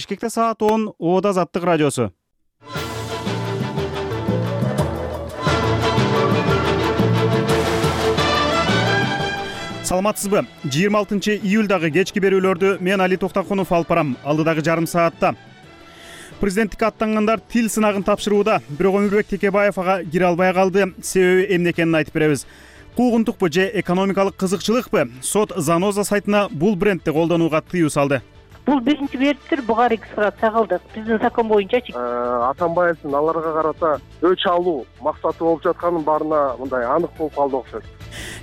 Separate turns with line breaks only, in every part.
Бишкекте саат 10 Ода Азаттык радиосу. Саламатсызбы? 26-июлдагы кечки берүүлөрдү мен Али Токтакунов алып барам. Алдыдагы жарым саатта президенттикке аттангандар тил сынагын тапшырууда, бирок Өмүрбек Текебаев ага кире албай калды. Себеби эмне экенин айтып беребиз. Куугунтукпу же экономикалык кызыкчылыкпы? Сот Заноза сайтына бул брендти колдонууга тыюу салды.
Бул биринчи бирдир буга регистрация кылдык. Биздин закон боюнчачы
Атамбаевдин аларга карата өч алуу максаты болуп жатканын баарына мындай анык болуп калды окшойт.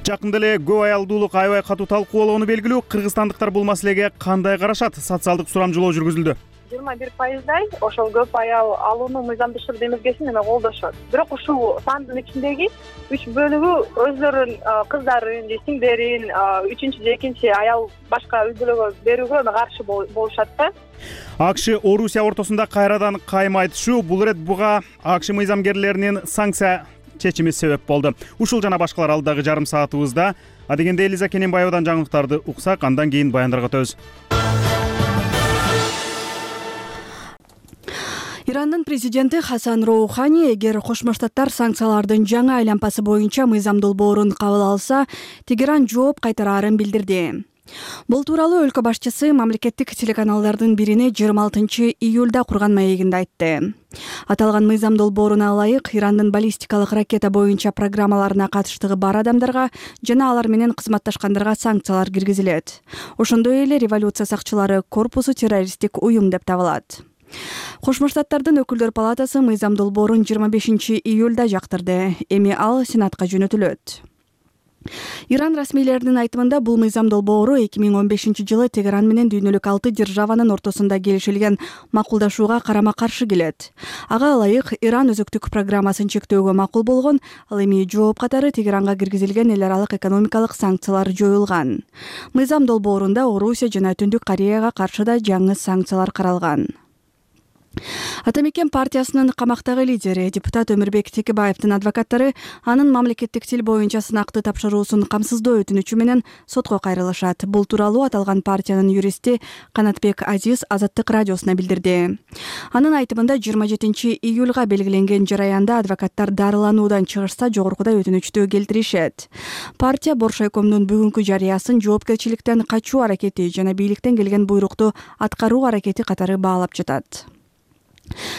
Жакында эле көп аялдуулук аябай катуу талкуу болгону белгилүү. Кыргызстандыктар бул маселеге кандай карашат? Социалдык сурамжылоо жүргүзүлдү.
21%дай ошол көп аял алууну мыйзамдашыруу демилгесин колдошот. Бирок ушул сандын ичиндеги 3 бөлүгү өзлөрүнүн кыздарын же сиңдерин үчүнчү же экинчи аял башка үй бүлөгө берүүгө каршы болушат да.
АКШ Орусия ортосунда кайрадан кайым айтышуу. Бул ирет буга АКШ мыйзамгерлеринин санкция чечими себеп болду. Ушул жана башкалар алдыдагы жарым саатыбызда. Адегенде Элиза Кененбаевадан жаңылыктарды уксак, андан кийин баяндарга өтөбүз.
Ирандын президенти Хасан Роухани эгер Кошмо Штаттар санкциялардын жаңы айлампасы боюнча мыйзам долбоорун кабыл алса, Тегеран жооп кайтараарын билдирди. Бул тууралуу өлкө башчысы мамлекеттик телеканалдардын бирине 26-июлда курган маегинде айтты. Аталган мыйзам долбооруна ылайык Ирандын баллистикалык ракета боюнча программаларына катыштыгы бар адамдарга жана алар менен кызматташкандарга санкциялар киргизилет. Ошондой эле революция сакчылары корпусу террористтик уюм деп табылат. Кошмо Штаттардын өкүлдөр палатасы мыйзам долбоорун 25-июлда жактырды. Эми ал Сенатка жөнөтүлөт. Иран расмийлеринин айтымында бул мыйзам долбоору 2015-жылы Тегеран менен дүйнөлүк 6 державанын ортосунда келишилген макулдашууга карама-каршы келет. Ага ылайык Иран өзөктүк программасын чектөөгө макул болгон, ал эми жооп катары Тегеранга киргизилген эл аралык экономикалык санкциялар жоюлган. Мыйзам долбоорунда Орусия жана Түндүк Кореяга каршы да жаңы санкциялар каралган. Ата Мекен партиясынын камактагы лидери депутат Өмүрбек Текебаевдин адвокаттары анын мамлекеттик тил боюнча сынакты тапшыруусун камсыздоо өтүнүчү менен сотко кайрылышат. Бул тууралуу аталган партиянын юристи Канатбек Азиз Азаттык радиосуна билдирди. Анын айтымында 27-июлга белгиленген жараянда адвокаттар дарылануудан чыгышса жогоркудай өтүнүчтү келтиришет. Партия Боршайкомдун бүгүнкү жарыясын жоопкерчиликтен качуу аракети жана бийликтен келген буйрукту аткаруу аракети катары баалап жатат.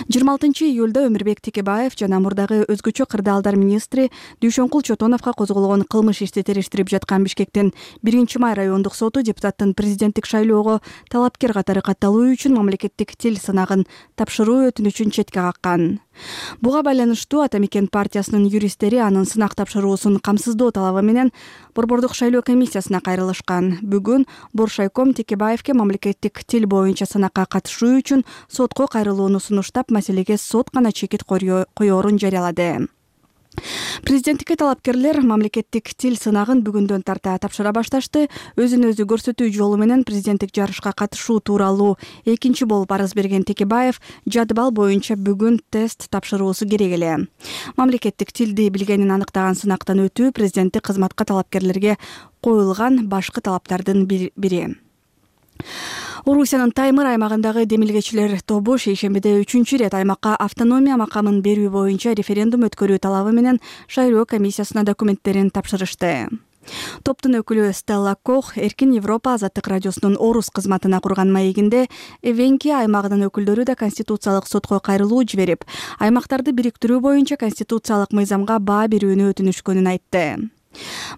26-июлда Өмүрбек Текебаев жана мурдагы өзгөчө кырдаалдар министри Дүйшөнкул Чотоновго козголгон кылмыш ишти териштирип жаткан Бишкектин 1-май райондук соту депутаттын президенттик шайлоого талапкер катары катталуу үчүн мамлекеттик тил сынагын тапшыруу өтүнүчүн четке каккан. Буга байланыштуу Ата Мекен партиясынын юристтери анын сынак тапшыруусун камсыздоо талабы менен Борбордук шайлоо комиссиясына кайрылышкан. Бүгүн Боршайком Текебаевке мамлекеттик тил боюнча сынакка катышуу үчүн сотко кайрылууну сунуштап, маселеге сот гана чекит коёрун жарыялады. Президенттикке талапкерлер мамлекеттик тил сынагын бүгүндөн тарта тапшыра башташты. Өзүн өзү көрсөтүү жолу менен президенттик жарышка катышуу тууралуу экинчи болуп арыз берген Текебаев жадыбал боюнча бүгүн тест тапшыруусу керек эле. Мамлекеттик тилди билгенин аныктаган сынактан өтүү президенттик кызматка талапкерлерге коюлган башкы талаптардын бири. Орусиянын Таймыр аймагындагы демилгечилер тобу шейшембиде 3-чү ирет аймакка автономия макамын берүү боюнча референдум өткөрүү талабы менен шайлоо комиссиясына документтерин тапшырышты. Топтун өкүлү Стелла Кох Эркин Европа Азаттык радиосунун Орус кызматына курган маегинде Эвенки аймагынын өкүлдөрү да конституциялык сотко кайрылуу жиберип, аймактарды бириктирүү боюнча конституциялык мыйзамга баа берүүнү өтүнүшкөнүн айтты.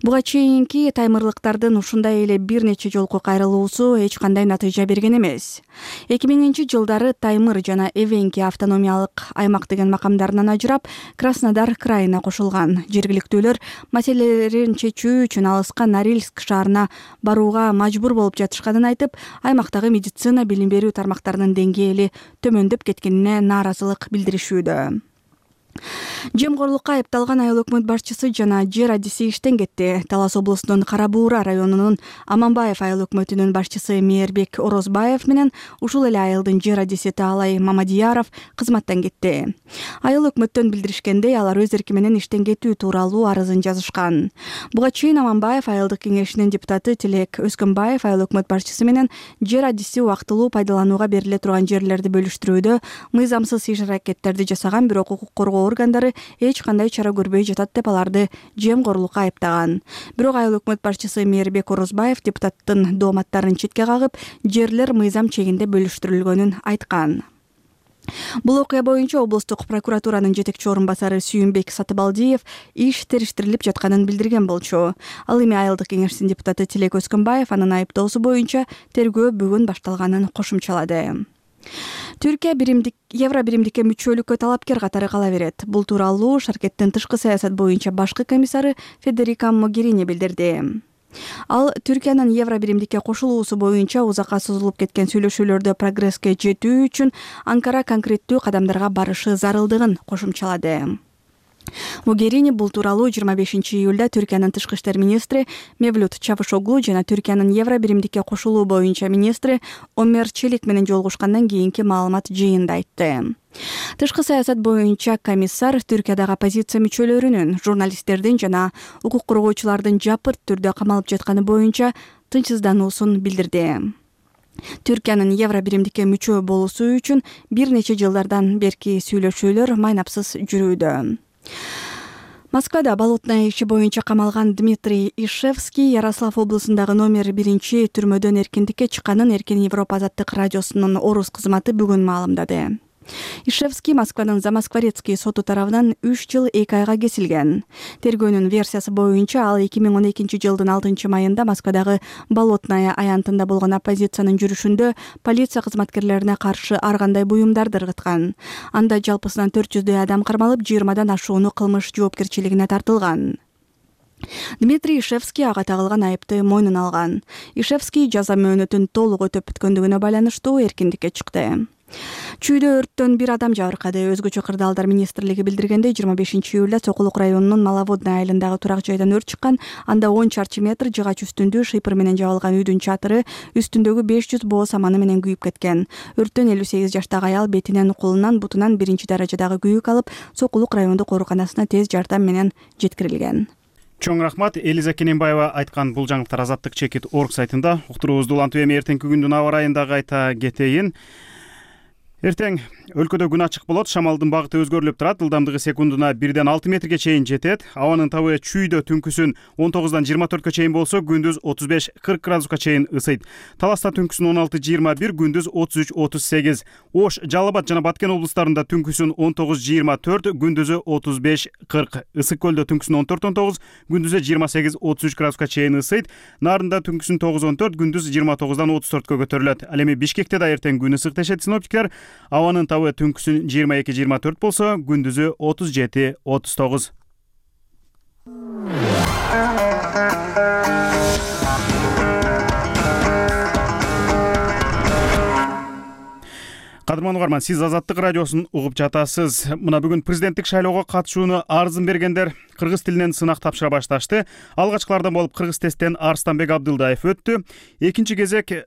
Буга чейинки таймырлыктардын ушундай эле бир нече жолку кайрылуусу эч кандай натыйжа берген эмес. 2000-жылдары Таймыр жана Эвенки автономиялык аймак деген макамдарынан ажырап, Краснодар крайына кошулган. Жергиликтүүлөр маселелерин чечүү үчүн алыска Норильск шаарына барууга мажбур болуп жатышканын айтып, аймактагы медицина билим берүү тармактарынын деңгээли төмөндөп кеткенине нааразылык билдиришүүдө. Жемкорлукка айыпталган айыл өкмөт башчысы жана жер адиси иштен кетти. Талас облусунун Кара Буура районунун Аманбаев айыл өкмөтүнүн башчысы Мээрбек Орозбаев менен ушул эле айылдын жер адиси Таалай Мамадияров кызматтан кетти. Айыл өкмөттөн билдиришкендей, алар өз эрки менен иштен кетүү тууралуу арызын жазышкан. Буга чейин Аманбаев айылдык кеңешинин депутаты Тилек Өскөнбаев айыл өкмөт башчысы менен жер адиси убактылуу пайдаланууга бериле турган жерлерди бөлүштүрүүдө мыйзамсыз иш-аракеттерди жасаган, бирок укук коргоо органдары эч кандай чара көрбөй жатат деп аларды жемкорлукка айыптаган. Бирок айыл өкмөт башчысы Мээрбек Орозбаев депутаттын дооматтарын четке кагып, жерлер мыйзам чегинде бөлүштүрүлгөнүн айткан. Бул окуя боюнча облустук прокуратуранын жетекчи орун басары Сүйүнбек Сатыбалдиев иш териштирилип жатканын билдирген болчу. Ал эми айылдык кеңештин депутаты Тилек Өскөнбаев анын айыптоосу боюнча тергөө бүгүн башталганын кошумчалады. Түркия евро биримдикке мүчөлүккө талапкер катары кала берет. Бул тууралуу Шаркеттин тышкы саясат боюнча башкы комиссары Федерика Могерини билдирди. Ал Түркиянын евро биримдикке кошулуусу боюнча узакка созулуп кеткен сүйлөшүүлөрдө прогресске жетүү үчүн Анкара конкреттүү кадамдарга барышы зарылдыгын кошумчалады. Могерини бул тууралуу 25-июлда Түркиянын тышкы иштер министри Мевлют Чавушоглу жана Түркиянын евро биримдикке кошулуу боюнча министри Омер Челик менен жолугушкандан кийинки маалымат жыйынында айтты. Тышкы саясат боюнча комиссар Түркиядагы оппозиция мүчөлөрүнүн, журналисттердин жана укук коргоочулардын жапырт түрдө камалып жатканы боюнча тынчсыздануусун билдирди. Түркиянын евро биримдикке мүчө болуусу үчүн бир нече жылдардан берки сүйлөшүүлөр майнапсыз жүрүүдө. Москвада болотная иши боюнча камалган Дмитрий Ишевский Ярослав облусундагы номер 1 түрмөдөн эркиндикке чыкканын Эркин Европа азаттык радиосунун орус кызматы бүгүн маалымдады. Ишевский Москванын Замоскворецкий соту тарабынан 3 жыл 2 айга кесилген. Тергөөнүн версиясы боюнча ал 2012 жылдын 6 майында Москвадагы Болотная аянтында болгон оппозициянын жүрүшүндө полиция кызматкерлерине каршы ар кандай буюмдарды ыргыткан. Анда жалпысынан 400дөй адам кармалып, 20дан ашууну кылмыш жоопкерчилигине тартылган. Дмитрий Ишевский ага тагылган айыпты мойнуна алган. Ишевский жаза мөөнөтүн толук өтөп бүткөндүгүнө байланыштуу эркиндикке чыкты. Чүйдө өрттөн бир адам жабыркады. Өзгөчө кырдаалдар министрлиги билдиргендей, 25-июлда Сокулук районунун Маловодная айылындагы турак жайдан өрт чыккан. Анда 10 чарчы метр жыгач үстүндүү шыйпыр менен жабылган үйдүн чатыры үстүндөгү 500 боо саманы менен күйүп кеткен. Өрттөн 58 жаштагы аял бетинен, колунан, бутунан 1-даражадагы күйүк алып, Сокулук райондук ооруканасына тез жардам менен жеткирилген.
Чоң рахмат. Элиза Кененбаева айткан бул жаңылыктар Азаттык чекит орг сайтында. Уктуруубузду улантып эми эртеңки күндүн аба ырайында кайта кетейин. Эртең өлкөдө күн ачык болот, шамалдын багыты өзгөрүлүп турат, ылдамдыгы секундуна 1-ден 6 метрге чейин жетет. Абанын табы чүйдө түнкүсүн 19-дан 24-кө чейин болсо, күндүз 35-40 градуска чейин ысыйт. Таласта түнкүсүн 16-21, күндүз 33-38. Ош, Жалал Абад жана Баткен облустарында түнкүсүн 19-24, күндүзү 35-40. Ысык көлдө түнкүсүн 14-19, күндүзү 28-33 градуска чейин ысыйт. Нарында түнкүсүн 9-14, күндүз 29-дан 34кө көтөрүлөт. Ал эми Бишкекте да эртең күн ысык дешет синоптиктер. Абанын табы түнкүсүн 22-24 болсо, күндүзү 37-39. Кадырман угарман, сиз Азаттык радиосун угуп жатасыз. Мына бүгүн президенттик шайлоого катышууну арызын бергендер кыргыз тилинен сынак тапшыра башташты. Алгачкылардан болуп кыргыз тесттен Арстанбек Абдылдаев өттү. Экинчи кезек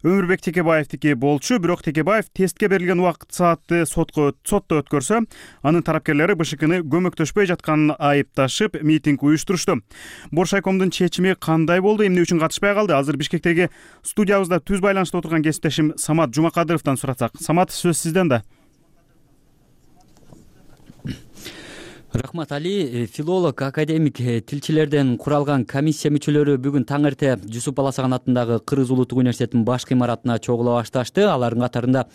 Өмүрбек Текебаевдики болчу, бирок Текебаев тестке берилген убакыт саатты сотто өткөрсө, анын тарапкерлери БШКны көмөктөшпөй жатканын айыпташып, митинг уюштурушту. Боршайкомдун чечими кандай болду, эмне үчүн катышпай калды? Азыр Бишкектеги студиябызда түз байланышта отурган кесиптешим Самат Жумакадыровдон суратсак. Самат, сөз сизден да.
Рахмат Али, филолог, академик, тилчилерден куралган комиссия мүчөлөрү бүгүн таң эрте Жусуп Баласаган атындагы Кыргыз Улуттук университетинин башкы имаратына чогула башташты. Алардын катарында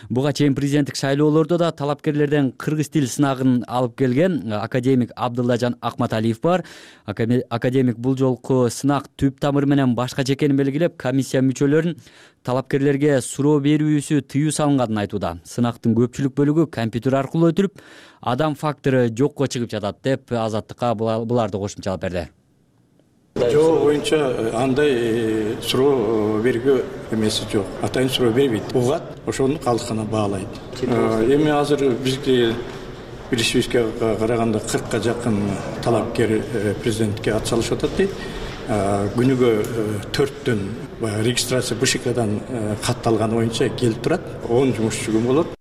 буга чейин президенттик шайлоолордо да талапкерлерден кыргыз тил сынагын алып келген академик Абдыллажан Акматалиев бар. Академик бул жолку сынак түп тамыры менен башкача экенин белгилеп, комиссия мүчөлөрүн талапкерлерге суроо берүүсү тыюу салынганын айтууда. Сынактын көпчүлүк бөлүгү компьютер аркылуу өтүлүп, адам фактору жокко чыгып жатат деп Азаттыкка буларды кошумчалап берди.
Жол боюнча андай суроо берүүгө эмеси жок. Атайын суроо бербейт. Угат, ошону калдыкына баалайт. Эми азыр бизге билишибизге караганда 40ка жакын талапкер президентке ат салышып атат дейт. Күнүгө 4төн регистрация БШКдан катталган боюнча келип турат. 10 жумушчу күн болот.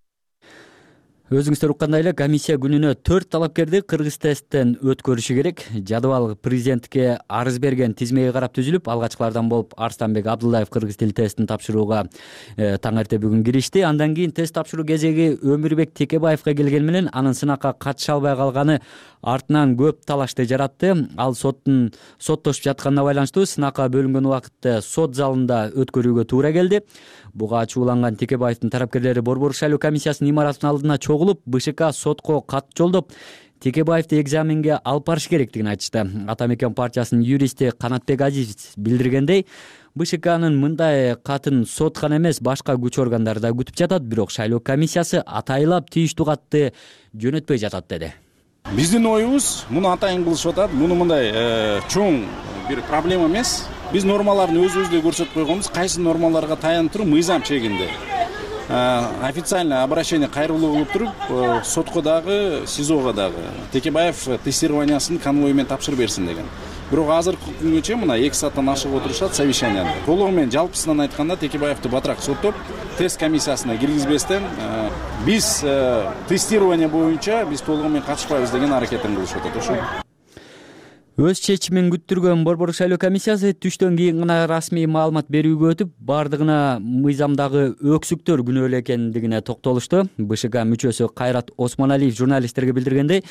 Өзүңүздөр уккандай эле комиссия күнүнө 4 талапкерди кыргыз тесттен өткөрүшү керек. Жадыбал президентке арыз берген тизмеге карап түзүлүп, алгачкылардан болуп Арстанбек Абдуллаев кыргыз тил тестин тапшырууга таң эрте бүгүн киришти. Андан кийин тест тапшыруу кезеги Өмүрбек Текебаевга келген менен анын сынакка катыша албай калганы артынан көп талашты жаратты. Ал соттошуп жатканына байланыштуу сынакка бөлүнгөн убакытты сот залында өткөрүүгө туура келди. Буга ачууланган Текебаевдин тарапкерлери Борбор шайлоо комиссиясынын имаратынын алдына чогулуп, БШК сотко кат жолдоп, Текебаевди экзаменге алып барыш керектигин айтышты. Ата мекен партиясынын юристи Канатбек Азиз билдиргендей, БШКнын мындай катын сот гана эмес, башка күч органдары да күтүп жатат, бирок шайлоо комиссиясы атайлап тийиштүү катты жөнөтпөй жатат деди.
Биздин оюбуз муну атайын кылышып атат. Муну мындай чоң бир проблема эмес. Биз нормаларын өзүбүздө көрсөтүп койгонбуз. Кайсы нормаларга таянып туруп мыйзам чегинде официальный обращение кайрылуу кылып туруп сотко дагы, СИЗОго дагы Текебаев тестированиясын конвой менен тапшырып берсин деген. Бирок азыркы күнгө чейин мына 2 сааттан ашык отурушат совещанияда. Толугу менен жалпысынан айтканда Текебаевди батыраак соттоп, тест комиссиясына киргизбестен биз тестирование боюнча биз толугу менен катышпайбыз деген аракетин кылышып атат. Ошо.
Өз чечимин күттүргөн Борбор шайлоо комиссиясы түштөн кийин гана расмий маалымат берүүгө өтүп, бардыгына мыйзамдагы өксүктөр күнөөлүү экендигине токтолушту. БШК мүчөсү Кайрат Осмоналиев журналисттерге билдиргендей,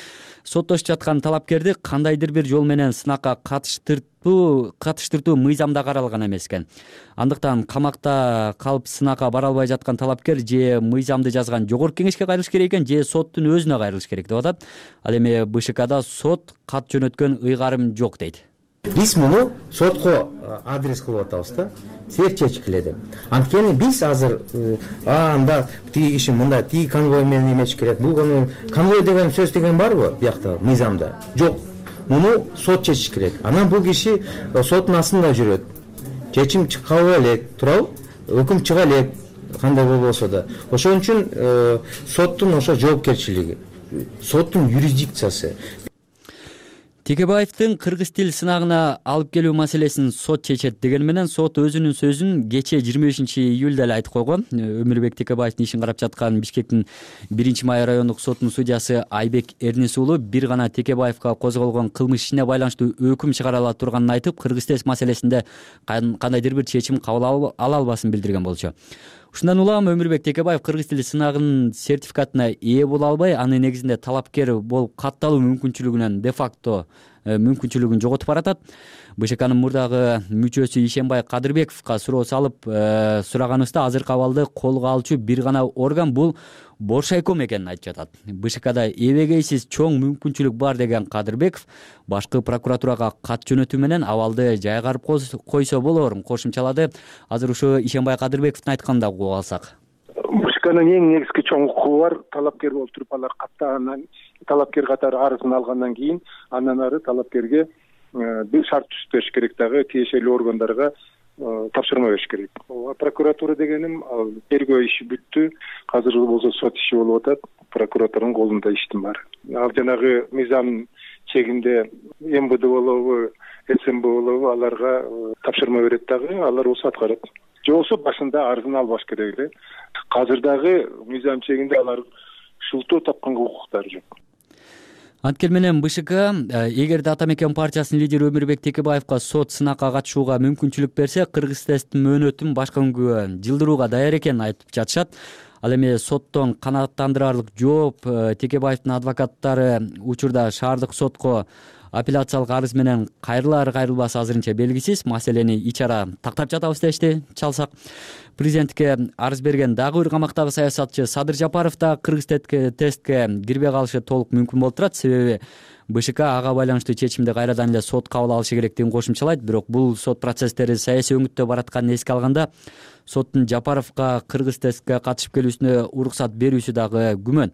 соттошуп жаткан талапкерди кандайдыр бир жол менен сынакка катыштыртуу мыйзамда каралган эмес экен. Андыктан камакта калып сынакка бара албай жаткан талапкер же мыйзамды жазган жогорку кеңешке кайрылыш керек экен, же соттун өзүнө кайрылыш керек деп атат. Ал эми БШКда сот кат жөнөткөн ыйгарым жок дейт.
Биз муну сотко адрес кылып атабыз да. Силер чечкиле деп. Анткени биз азыр анда тиги киши мында тиги конвой менен эмеш керек. Бул конвой деген сөз деген барбы биякта мыйзамда? Жок. Муну сот чечиш керек. Анан бул киши соттун астында жүрөт. Чечим чыккабы элек, туурабы? Өкүм чыга элек, кандай болбосо да. Ошон үчүн соттун ошо жоопкерчилиги, соттун юрисдикциясы.
Текебаевдин кыргыз тил сынагына алып келүү маселесин сот чечет деген менен сот өзүнүн сөзүн кече 25-июлда эле айтып койгон. Өмүрбек Текебаевдин ишин карап жаткан Бишкектин 1-май райондук сотунун судьясы Айбек Эрнис уулу бир гана Текебаевга козголгон кылмыш ишине байланыштуу өкүм чыгарыла турганын айтып, кыргыз тест маселесинде кандайдыр бир чечим кабыл ала албасын билдирген болчу. Ушундан улам Өмүрбек Текебаев кыргыз тили сынагынын сертификатына ээ боло албай, анын негизинде талапкер болуп катталуу мүмкүнчүлүгүнөн де-факто мүмкүнчүлүгүн жоготуп баратат. БШКнын мурдагы мүчөсү Ишенбай Кадырбековго суроо салып сураганыбызда азыркы абалды колго алчу бир гана орган бул Боршайком экенин айтып жатат. БШКда эбегейсиз чоң мүмкүнчүлүк бар деген Кадырбеков башкы прокуратурага кат жөнөтүү менен абалды жайгарып койсо болорун кошумчалады. Азыр ушу Ишенбай Кадырбековдун айтканын да угуп алсак.
БШКнын эң негизги чоң укугу бар. Талапкер болуп туруп алар каттагандан, талапкер катары арызын алгандан кийин андан ары талапкерге бир шарт түзүп бериш керек дагы, тиешелүү органдарга тапшырма бериш керек. Прокуратура дегеним тергөө иши бүттү. Азыр болсо сот иши болуп атат. Прокуратуранын колунда иштин баары. Ал жанагы мыйзам чегинде МВД болобу, СМБ болобу аларга тапшырма берет дагы, алар болсо аткарат. Же болсо башында арызын албаш керек эле. Азыр дагы мыйзам чегинде алар шылтоо тапканга укуктары жок.
Анткени менен БШК эгерде Ата мекен партиясынын лидери Өмүрбек Текебаевга сот сынакка катышууга мүмкүнчүлүк берсе, кыргыз тесттин мөөнөтүн башка күнгө жылдырууга даяр экенин айтып жатышат. Ал эми соттон канааттандырарлык жооп Текебаевдин адвокаттары учурда шаардык сотко апелляциялык арыз менен кайрылар-кайрылбасы азырынча белгисиз. Маселени ичара тактап жатабыз дешти. Чалсак президентке арыз берген дагы бир камактагы саясатчы Садыр Жапаров да кыргыз тестке кирбей калышы толук мүмкүн болуп турат. Себеби БШК ага байланыштуу чечимди кайрадан эле сот кабыл алышы керектигин кошумчалайт. Бирок бул сот процесстери саясий өңүттө баратканын эске алганда соттун Жапаровго кыргыз тестке катышып келүүсүнө уруксат берүүсү дагы күмөн.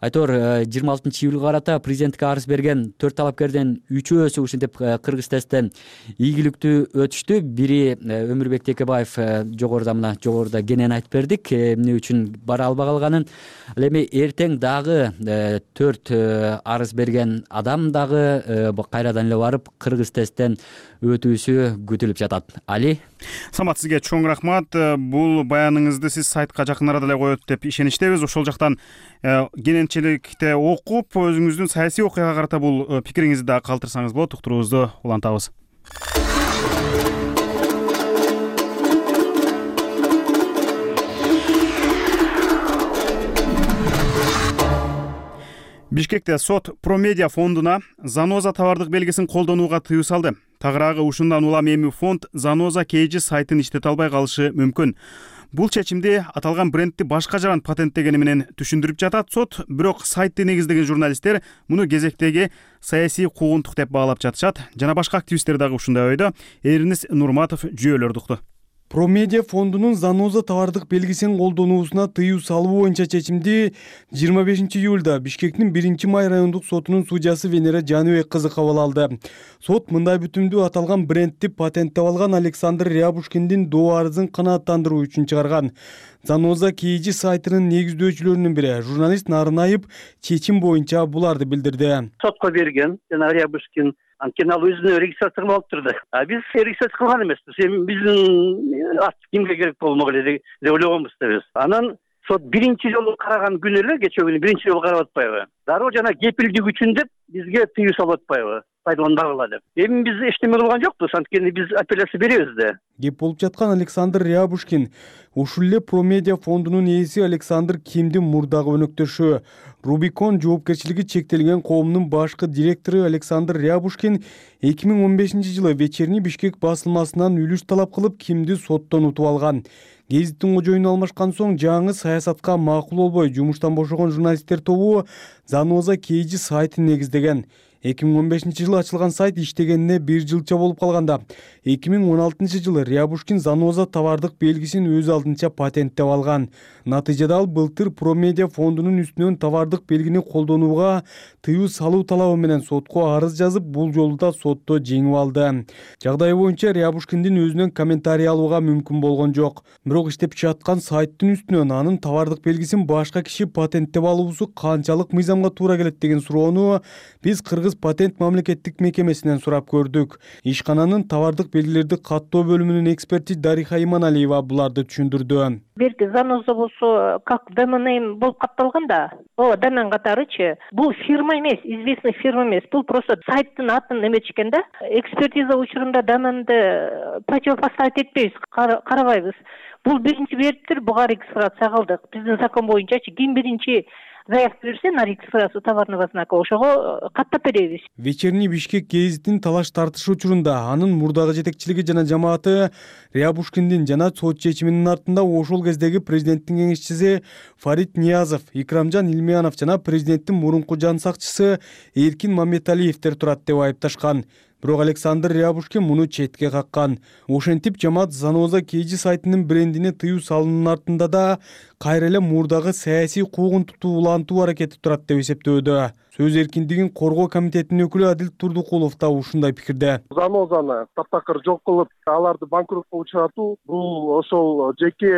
Айтор 26-июлга карата президентке арыз берген 4 талапкерден 3-өөсү ушинтип кыргыз тесттен ийгиликтүү өтүштү. Бири Өмүрбек Текебаев жогоруда кенен айтып бердик эмне үчүн бара албай калганын. Ал эми эртең дагы 4 арыз берген адам дагы кайрадан эле барып кыргыз тесттен өтүүсү күтүлүп жатат. Али,
Самат, сизге чоң рахмат. Бул баяныңызды сиз сайтка жакын арада эле коет деп ишеничтебиз. Ошол жактан кененчиликте окуп, өзүңүздүн саясий окуяга карата бул пикириңизди да калтырсаңыз болот. Уктуруубузду улантабыз. Бишкекте сот Промедиа фондуна Заноза товардык белгисин колдонууга тыюу салды. Тагыраагы ушундан улам эми фонд Заноза KG сайтын иштете албай калышы мүмкүн. Бул чечимди аталган брендти башка жаран патенттегени менен түшүндүрүп жатат сот, бирок сайтты негиздеген журналисттер муну кезектеги саясий куугунтук деп баалап жатышат. Жана башка активисттер дагы ушундай ойдо. Эрнис Нурматов жүйөлөрдү укту.
Промедиа фондунун Заноза товардык белгисин колдонуусуна тыюу салуу боюнча чечимди 25-июлда Бишкектин 1-Май райондук сотунун судьясы Венера Жаныбек кызы кабыл алды. Сот мындай бүтүмдү аталган брендти патенттеп алган Александр Рябушкиндин доо арызын канааттандыруу үчүн чыгарган. Заноза KG сайтынын негиздөөчүлөрүнүн бири журналист Нарынайып чечим боюнча буларды билдирди.
Сотко берген жана Рябушкин анткени ал өзүнө регистрация кылып турду. Биз регистрация кылган эмеспиз. Биздин ат кимге керек болмок эле деп ойлогонбуз да биз. Анан сот биринчи жолу караган күнү эле кечээ күнү биринчи жолу карап атпайбы? Дароо жана кепилдик үчүн деп бизге тыюу салып атпайбы? Пайдаланбагыла деп. Эми биз эчтеме кылган жокпуз, анткени биз апелляция беребиз да.
Кеп болуп жаткан Александр Рябушкин ушул эле Промедиа фондунун ээси Александр Кимдин мурдагы өнөктөшү. Рубикон жоопкерчилиги чектелген коомунун башкы директору Александр Рябушкин 2015-жылы Вечерний Бишкек басылмасынан үлүш талап кылып Кимди соттон утуп алган. Гезиттин кожоюну алмашкан соң жаңы саясатка макул болбой жумуштан бошогон журналисттер тобу Заноза KG сайтын негиздеген. 2015-жылы ачылган сайт иштегенине 1 жылча болуп калганда 2016-жылы Рябушкин Заноза товардык белгисин өз алдынча патенттеп алган. Натыйжада ал былтыр Промедиа фондунун үстүнөн товардык белгини колдонууга тыюу салуу талабы менен сотко арыз жазып, бул жолу да сотто жеңип алды. Жагдай боюнча Рябушкиндин өзүнөн комментарий алууга мүмкүн болгон жок. Бирок иштеп жаткан сайттын үстүнөн анын товардык белгисин башка киши патенттеп алуусу канчалык мыйзамга туура келет деген суроону биз Кыргыз патент мамлекеттик мекемесинен сурап көрдүк. Ишкананын товардык белгилерди каттоо бөлүмүнүн эксперти Дариха Иманалиева буларды түшүндүрдү.
Берки Заноза болсо как домен болуп катталган да. Домен катарычы. Бул фирма эмес, известный фирма эмес. Бул просто сайттын атын эметишкен да. Экспертиза учурунда доменди противопоставить этпейбиз, карабайбыз. Бул биринчи бериптир, буга регистрация кылдык. Биздин закон боюнчачы ким биринчи заявка берсе на регистрацию товарного знака ошого каттап беребиз.
Вечерний Бишкек гезитин талаш тартышы учурунда анын мурдагы жетекчилиги жана жамааты Рябушкиндин жана сот чечиминин артында ошол кездеги президенттин кеңешчиси Фарид Ниязов, Икрамжан Илмиянов жана президенттин мурунку жан сакчысы Эркин Мамметалиевдер турат деп айыпташкан. Бирок Александр Рябушкин муну четке каккан. Ошентип жамаат Заноза KG сайтынын брендине тыюу салуунун артында да кайра эле мурдагы саясий куугунтукту улантуу аракети турат деп эсептөөдө. Сөз эркиндигин коргоо комитетинин өкүлү Адил Турдукулов да ушундай пикирде.
Занозаны таптакыр жок кылып, аларды банкротко учуратуу бул ошол жеке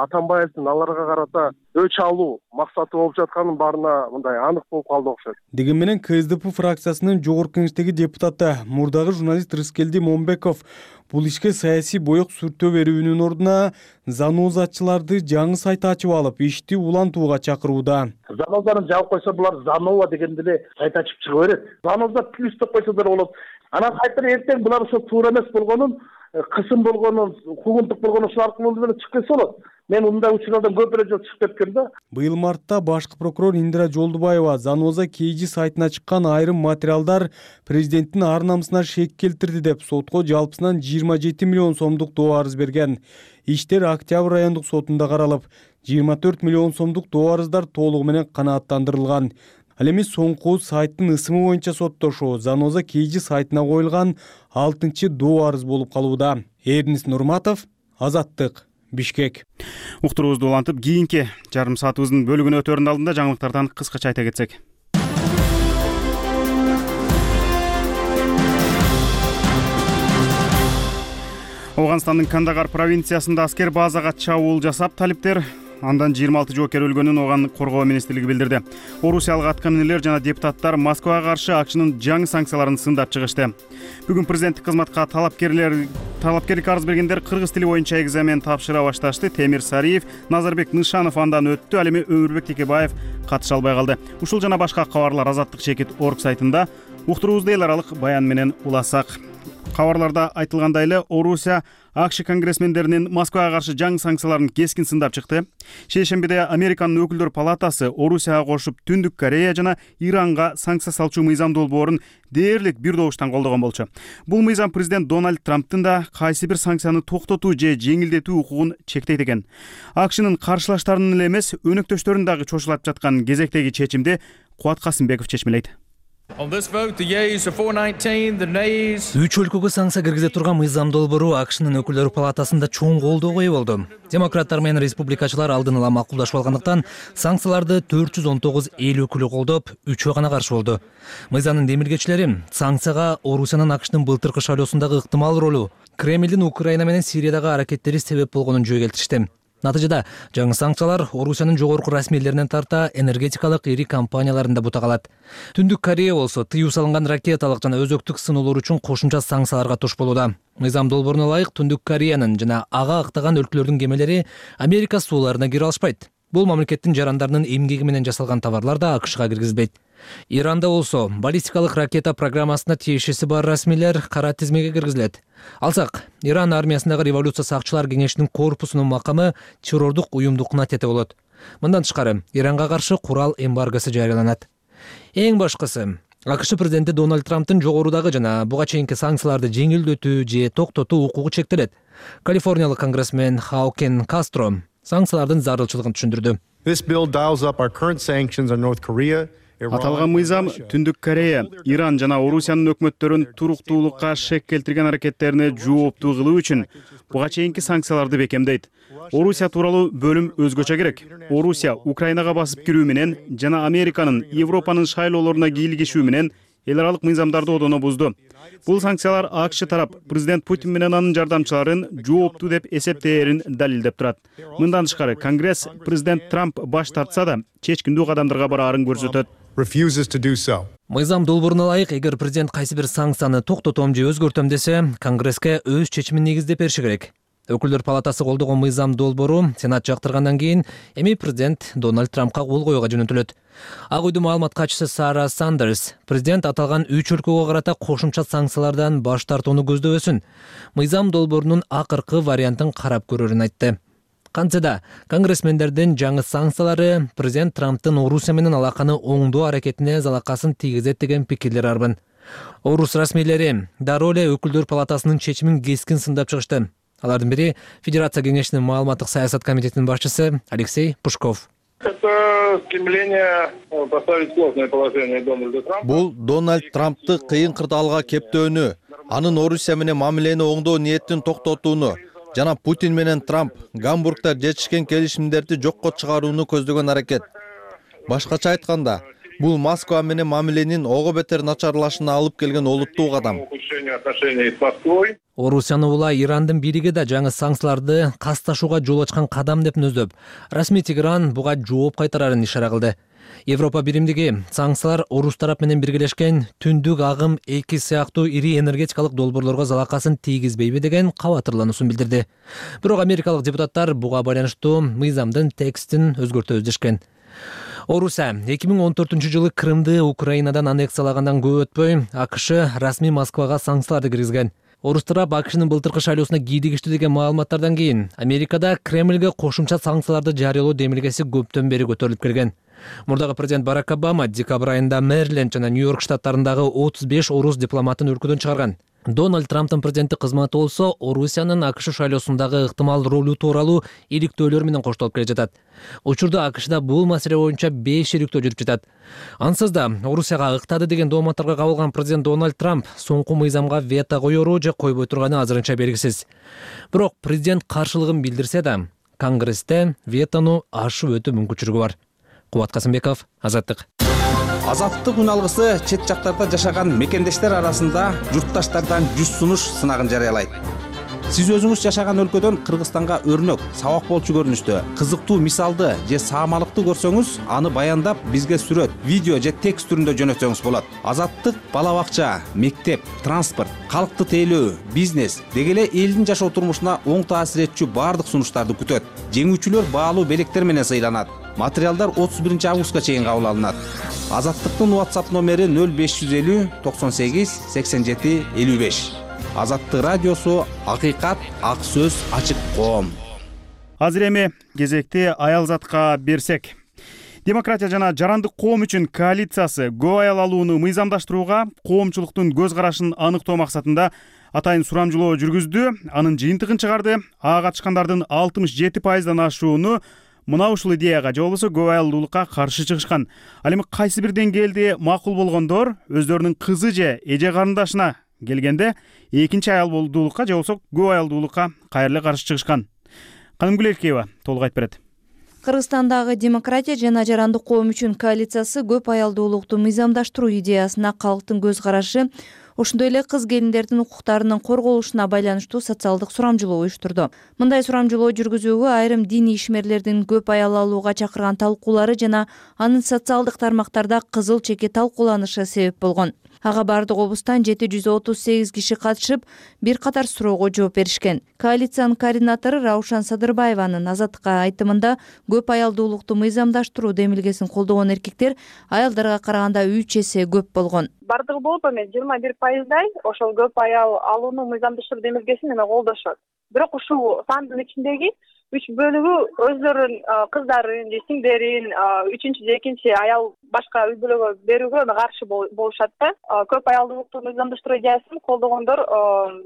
Атамбаевдин аларга карата өч алуу максаты болуп жатканын баарына мындай анык болуп калды окшойт.
Деген менен КСДП фракциясынын жогорку кеңештеги депутаты мурдагы журналист Рыскелди Момбеков бул ишке саясий боек сүртөө берүүнүн ордуна занозачыларды жаңы сайт ачып алып, ишти улантууга чакырууда.
Занозаны жаап койсо булар Занова дегенде эле сайт ачып чыга берет. Заноза плюс деп койсолор болот. Анан сайттан эртең булар ошо туура эмес болгонун, кысым болгонун, куугунтук болгонун ушул аркылуу менен чыгып кетсе болот. Мен мындай учурлардан көп эле жолу чыгып кеткем да.
Быйыл мартта башкы прокурор Индира Жолдубаева Заноза KG сайтына чыккан айрым материалдар президенттин ар намысына шек келтирди деп сотко жалпысынан 27 миллион сомдук доо арыз берген. Иштер Октябрь райондук сотунда каралып, 24 миллион сомдук доо арыздар толугу менен канааттандырылган. Ал эми соңку сайттын ысымы боюнча соттошуу Заноза KG сайтына коюлган 6-доо арыз болуп калууда. Эрнис Нурматов, Азаттык, Бишкек.
Уктуруубузду улантып, кийинки жарым саатыбыздын бөлүгүнө өтөрүнүн алдында жаңылыктардан кыскача айта кетсек. Афганстандын Кандагар провинциясында аскер базага чабуул жасап, талиптер андан 26 жоокер өлгөнүн оган коргоо министрлиги билдирди. Орусиялык атка минерлер жана депутаттар Москвага каршы АКШнын жаңы санкцияларын сындап чыгышты. Бүгүн президенттик кызматка талапкерлик арыз бергендер кыргыз тили боюнча экзамен тапшыра башташты. Темир Сариев, Назарбек Нышанов андан өттү. Ал эми Өмүрбек Текебаев катыша албай калды. Ушул жана башка кабарлар Азаттык чекит орг сайтында. Уктуруубузду эл аралык баян менен уласак. Кабарларда айтылгандай эле, Орусия АКШ конгрессмендеринин Москвага каршы жаңы санкцияларын кескин сындап чыкты. Шейшембиде Американын өкүлдөр палатасы Орусияга кошуп Түндүк Корея жана Иранга санкция салчу мыйзам долбоорун дээрлик бир добуштан колдогон болчу. Бул мыйзам президент Дональд Трамптын да кайсы бир санкцияны токтотуу же жеңилдетүү укугун чектейт экен. АКШнын каршылаштарынын эле эмес, өнөктөштөрүн дагы чочулап жаткан кезектеги чечимди Кубат Касымбеков чечмелейт.
3 өлкөгө санкция киргизе турган мыйзам долбоору АКШнын өкүлдөр палатасында чоң колдоого ээ болду. Демократтар менен республикачылар алдын ала макулдашып алгандыктан санкцияларды 419 эл өкүлү колдоп, 3 гана каршы болду. Мыйзамдын демилгечилери санкцияга Орусиянын АКШнын былтыркы шайлоосундагы ыктымал ролу, Кремлдин Украина менен Сириядагы аракеттери себеп болгонун жөө келтиришти. Натыйжада жаңы санкциялар Орусиянын жогорку расмийлеринен тарта энергетикалык ири компанияларында бута калат. Түндүк Корея болсо тыюу салынган ракеталык жана өзөктүк сыноолор үчүн кошумча санкцияларга туш болууда. Мыйзам долбооруна ылайык Түндүк Кореянын жана ага ыктаган өлкөлөрдүн кемелери Америка сууларына кире алышпайт. Бул мамлекеттин жарандарынын эмгеги менен жасалган товарлар да АКШга киргизилбейт. Иранда болсо баллистикалык ракета программасына тиешеси бар расмийлер кара тизмеге киргизилет. Алсак, Иран армиясындагы революция сакчылар кеңешинин корпусунун макамы террордук уюмдукуна тете болот. Мындан тышкары, Иранга каршы курал эмбаргосу жарыяланат. Эң башкысы, АКШ президенти Дональд Трамптын жогорудагы жана буга чейинки санкцияларды жеңилдетүү же токтотуу укугу чектелет. Калифорниялык конгрессмен Хаукен Кастро санкциялардын зарылчылыгын түшүндүрдү.
Аталган мыйзам Түндүк Корея, Иран жана Орусиянын өкмөттөрүн туруктуулукка шек келтирген аракеттерине жооптуу кылуу үчүн буга чейинки санкцияларды бекемдейт. Орусия тууралуу бөлүм өзгөчө керек. Орусия Украинага басып кирүү менен жана Американын Европанын шайлоолоруна кийлигишүү менен эл аралык мыйзамдарды одоно бузду. Бул санкциялар АКШ тарап президент Путин менен анын жардамчыларын жооптуу деп эсептээрин далилдеп турат. Мындан тышкары, Конгресс президент Трамп баш тартса да чечкиндүү кадамдарга бараарын көрсөтөт.
Мыйзам долбооруна ылайык, эгер президент кайсы бир санкцияны токтотом же өзгөртөм десе, Конгресске өз чечимин негиздеп бериши керек. Өкүлдөр палатасы колдогон мыйзам долбоору Сенат жактыргандан кийин эми президент Дональд Трампка кол коюуга жөнөтүлөт. Ак үйдүн маалымат катчысы Сара Сандерс президент аталган 3 өлкөгө карата кошумча санкциялардан баш тартууну көздөбөсүн, мыйзам долбоорунун акыркы вариантын карап көрөрүн айтты. Кантсе да, конгрессмендердин жаңы санкциялары президент Трамптын Орусия менен алаканы оңдоо аракетине залакасын тийгизет деген пикирлер арбын. Орус расмийлери дароо эле өкүлдөр палатасынын чечимин кескин сындап чыгышты. Алардын бири Федерация кеңешинин маалыматтык саясат комитетинин башчысы Алексей Пушков.
Это стремление поставить сложное положение Дональда Трампа.
Бул Дональд Трампты кыйын кырдаалга кептөөнү, анын Орусия менен мамилени оңдоо ниетин токтотууну жана Путин менен Трамп Гамбургда жетишкен келишимдерди жокко чыгарууну көздөгөн аракет. Башкача айтканда, бул Москва менен мамиленин ого бетер начарлашына алып келген олуттуу кадам.
Орусияны улай Ирандын бириги да жаңы санкцияларды касташууга жол ачкан кадам деп нөздөп, расмий Тегеран буга жооп кайтарарын ишара кылды. Европа биримдиги санкциялар Орус тарап менен биргелешкен Түндүк агым 2 сыяктуу ири энергетикалык долбоорлорго залакасын тийгизбейби деген кабатырлануусун билдирди. Бирок америкалык депутаттар буга байланыштуу мыйзамдын текстин өзгөртөбүз дешкен. Орусия 2014-жылы Крымды Украинадан аннексиялагандан көп өтпөй, АКШ расмий Москвага санкцияларды киргизген. Орус тарап АКШнын былтыркы шайлоосуна кийлигиштүү деген маалыматтардан кийин Америкада Кремлге кошумча санкцияларды жарыялоо демилгеси көптөн бери көтөрүлүп келген. Мурдагы президент Барак Обама декабрь айында Мэриленд жана Нью-Йорк штаттарындагы 35 орус дипломатын өлкөдөн чыгарган. Дональд Трамптын президенттик кызматы болсо Орусиянын АКШ шайлоосундагы ыктымал ролу тууралуу иликтөөлөр менен коштолуп келе жатат. Учурда АКШда бул маселе боюнча 5 иликтөө жүрүп жатат. Ансыз да Орусияга ыктады деген дооматтарга кабылган президент Дональд Трамп соңку мыйзамга вето коеру же койбой турганы азырынча белгисиз. Бирок президент каршылыгын билдирсе да, Конгрессте ветону ашып өтүү мүмкүнчүлүгү бар. Кубат Касымбеков, Азаттык.
Азаттык үн алгысы чет жактарда жашаган мекендештер арасында журтташтардан 100 сунуш сынагын жарыялайт. Сиз өзүңүз жашаган өлкөдөн Кыргызстанга өрнөк, сабак болчу көрүнүштө, кызыктуу мисалды же саамалыкты көрсөңүз, аны баяндап бизге сүрөт, видео же текст түрүндө жөнөтсөңүз болот. Азаттык бала бакча, мектеп, транспорт, калкты тейлөө, бизнес деги эле элдин жашоо турмушуна оң таасир этчү баардык сунуштарды күтөт. Жеңүүчүлөр баалуу белектер менен сыйланат. Материалдар 31 августка чейин кабыл алынат. Азаттыктын WhatsApp номери 0550 98 87 55. Азаттык радиосу, акыйкат, ак сөз, ачык коом.
Азыр эми кезекти аялзатка берсек. Демократия жана жарандык коом үчүн коалициясы көп аял алууну мыйзамдаштырууга коомчулуктун көз карашын аныктоо максатында атайын сурамжылоо жүргүздү. Анын жыйынтыгын чыгарды. Ага катышкандардын 67%дан ашууну мына ушул идеяга же болбосо көп аялдуулукка каршы чыгышкан. Ал эми кайсы бир деңгээлде макул болгондор өздөрүнүн кызы же эже карындашына келгенде экинчи аялдуулукка же болбосо көп аялдуулукка кайра каршы чыгышкан. Канымгүл Эркеева толук айтып берет.
Кыргызстандагы демократия жана жарандык коом үчүн коалициясы көп аялдуулукту мыйзамдаштыруу идеясына калктын көз карашы, ошондой эле кыз келиндердин укуктарынын корголушуна байланыштуу социалдык сурамжылоо уюштурду. Мындай сурамжылоо жүргүзүүгө айрым диний ишмерлердин көп аял алууга чакырган талкуулары жана анын социалдык тармактарда кызыл чеки талкууланышы себеп болгон. Ага бардык облустан 738 киши катышып, бир катар суроого жооп беришкен. Коалициянын координатору Раушан Садырбаеванын Азаттыкка айтымында көп аялдуулукту мыйзамдаштыруу демилгесин колдогон эркектер аялдарга караганда 3 эсе көп болгон.
Бардыгы болуп эми 21%дай ошол көп аял алууну мыйзамдаштыруу демилгесин эме колдошот. Бирок ушул сандын ичиндеги 3 бөлүгү өздөрүнүн кыздарын же сиңдерин, 3-же 2-чи аял башка үй бүлөгө берүүгө каршы болушат да. Көп аялдуулукту мыйзамдаштыруу идеясын колдогондор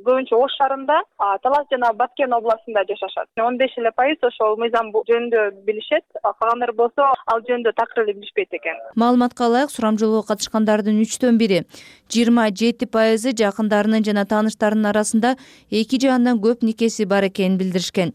көбүнчө Ош шаарында, Талас жана Баткен областында жашашат. 15% ошол мыйзам жөнүндө билишет, калгандары болсо ал жөнүндө такыр эле билишпейт экен.
Маалыматка ылайык, сурамжылоого катышкандардын 3төн бири 27% жакындарынын жана тааныштарынын арасында эки же андан көп никеси бар экенин билдиришкен.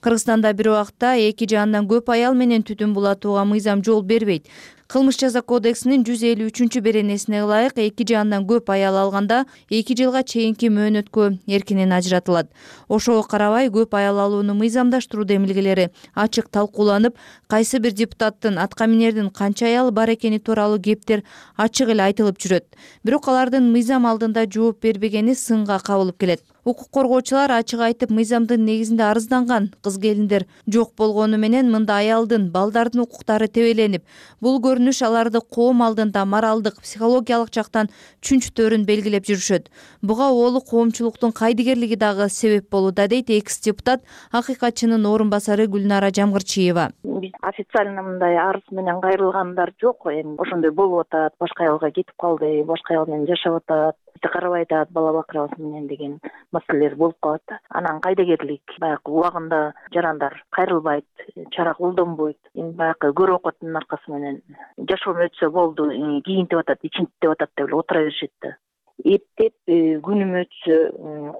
Кыргызстанда бир убакта эки же андан көп аял менен түтүн булатууга мыйзам жол бербейт. Кылмыш жаза кодексинин 153 беренесине ылайык эки же андан көп аял алганда 2 жылга чейинки мөөнөткө эркинен ажыратылат. Ошого карабай көп аял алууну мыйзамдаштыруу демилгелери ачык талкууланып, кайсы бир депутаттын атка минердин канча аял бар экени тууралуу кептер ачык эле айтылып жүрөт. Бирок алардын мыйзам алдында жооп бербегени сынга кабылып келет. Укук коргоочулар ачык айтып, мыйзамдын негизинде арызданган кыз келиндер жок болгону менен мында аялдын, балдардын укуктары тебеленип, бул көрүнүш аларды коом алдында моралдык, психологиялык жактан чүнчтөрүн белгилеп жүрүшөт. Буга оолу коомчулуктун кайдыгерлиги дагы себеп болууда, дейт экс-депутат, акыйкатчынын орун басары Гүлнара Жамгырчиева.
Биз официально мындай арыз менен кайрылгандар жок. Эми ошондой болуп атат, башка аялга кетип калды, башка аял менен жашап атат, карабай атат, бала бакырабыз менен деген маселелер болуп калат да. Анан кайдыгерлик баягы убагында жарандар кайрылбайт, чара колдонбойт. Эми баягы көрүп окуттун аркасы менен жашоом өтсө болду, кийинтип атат, ичинтип атат деп эле отура беришет да. Эптеп күнүм өтсө,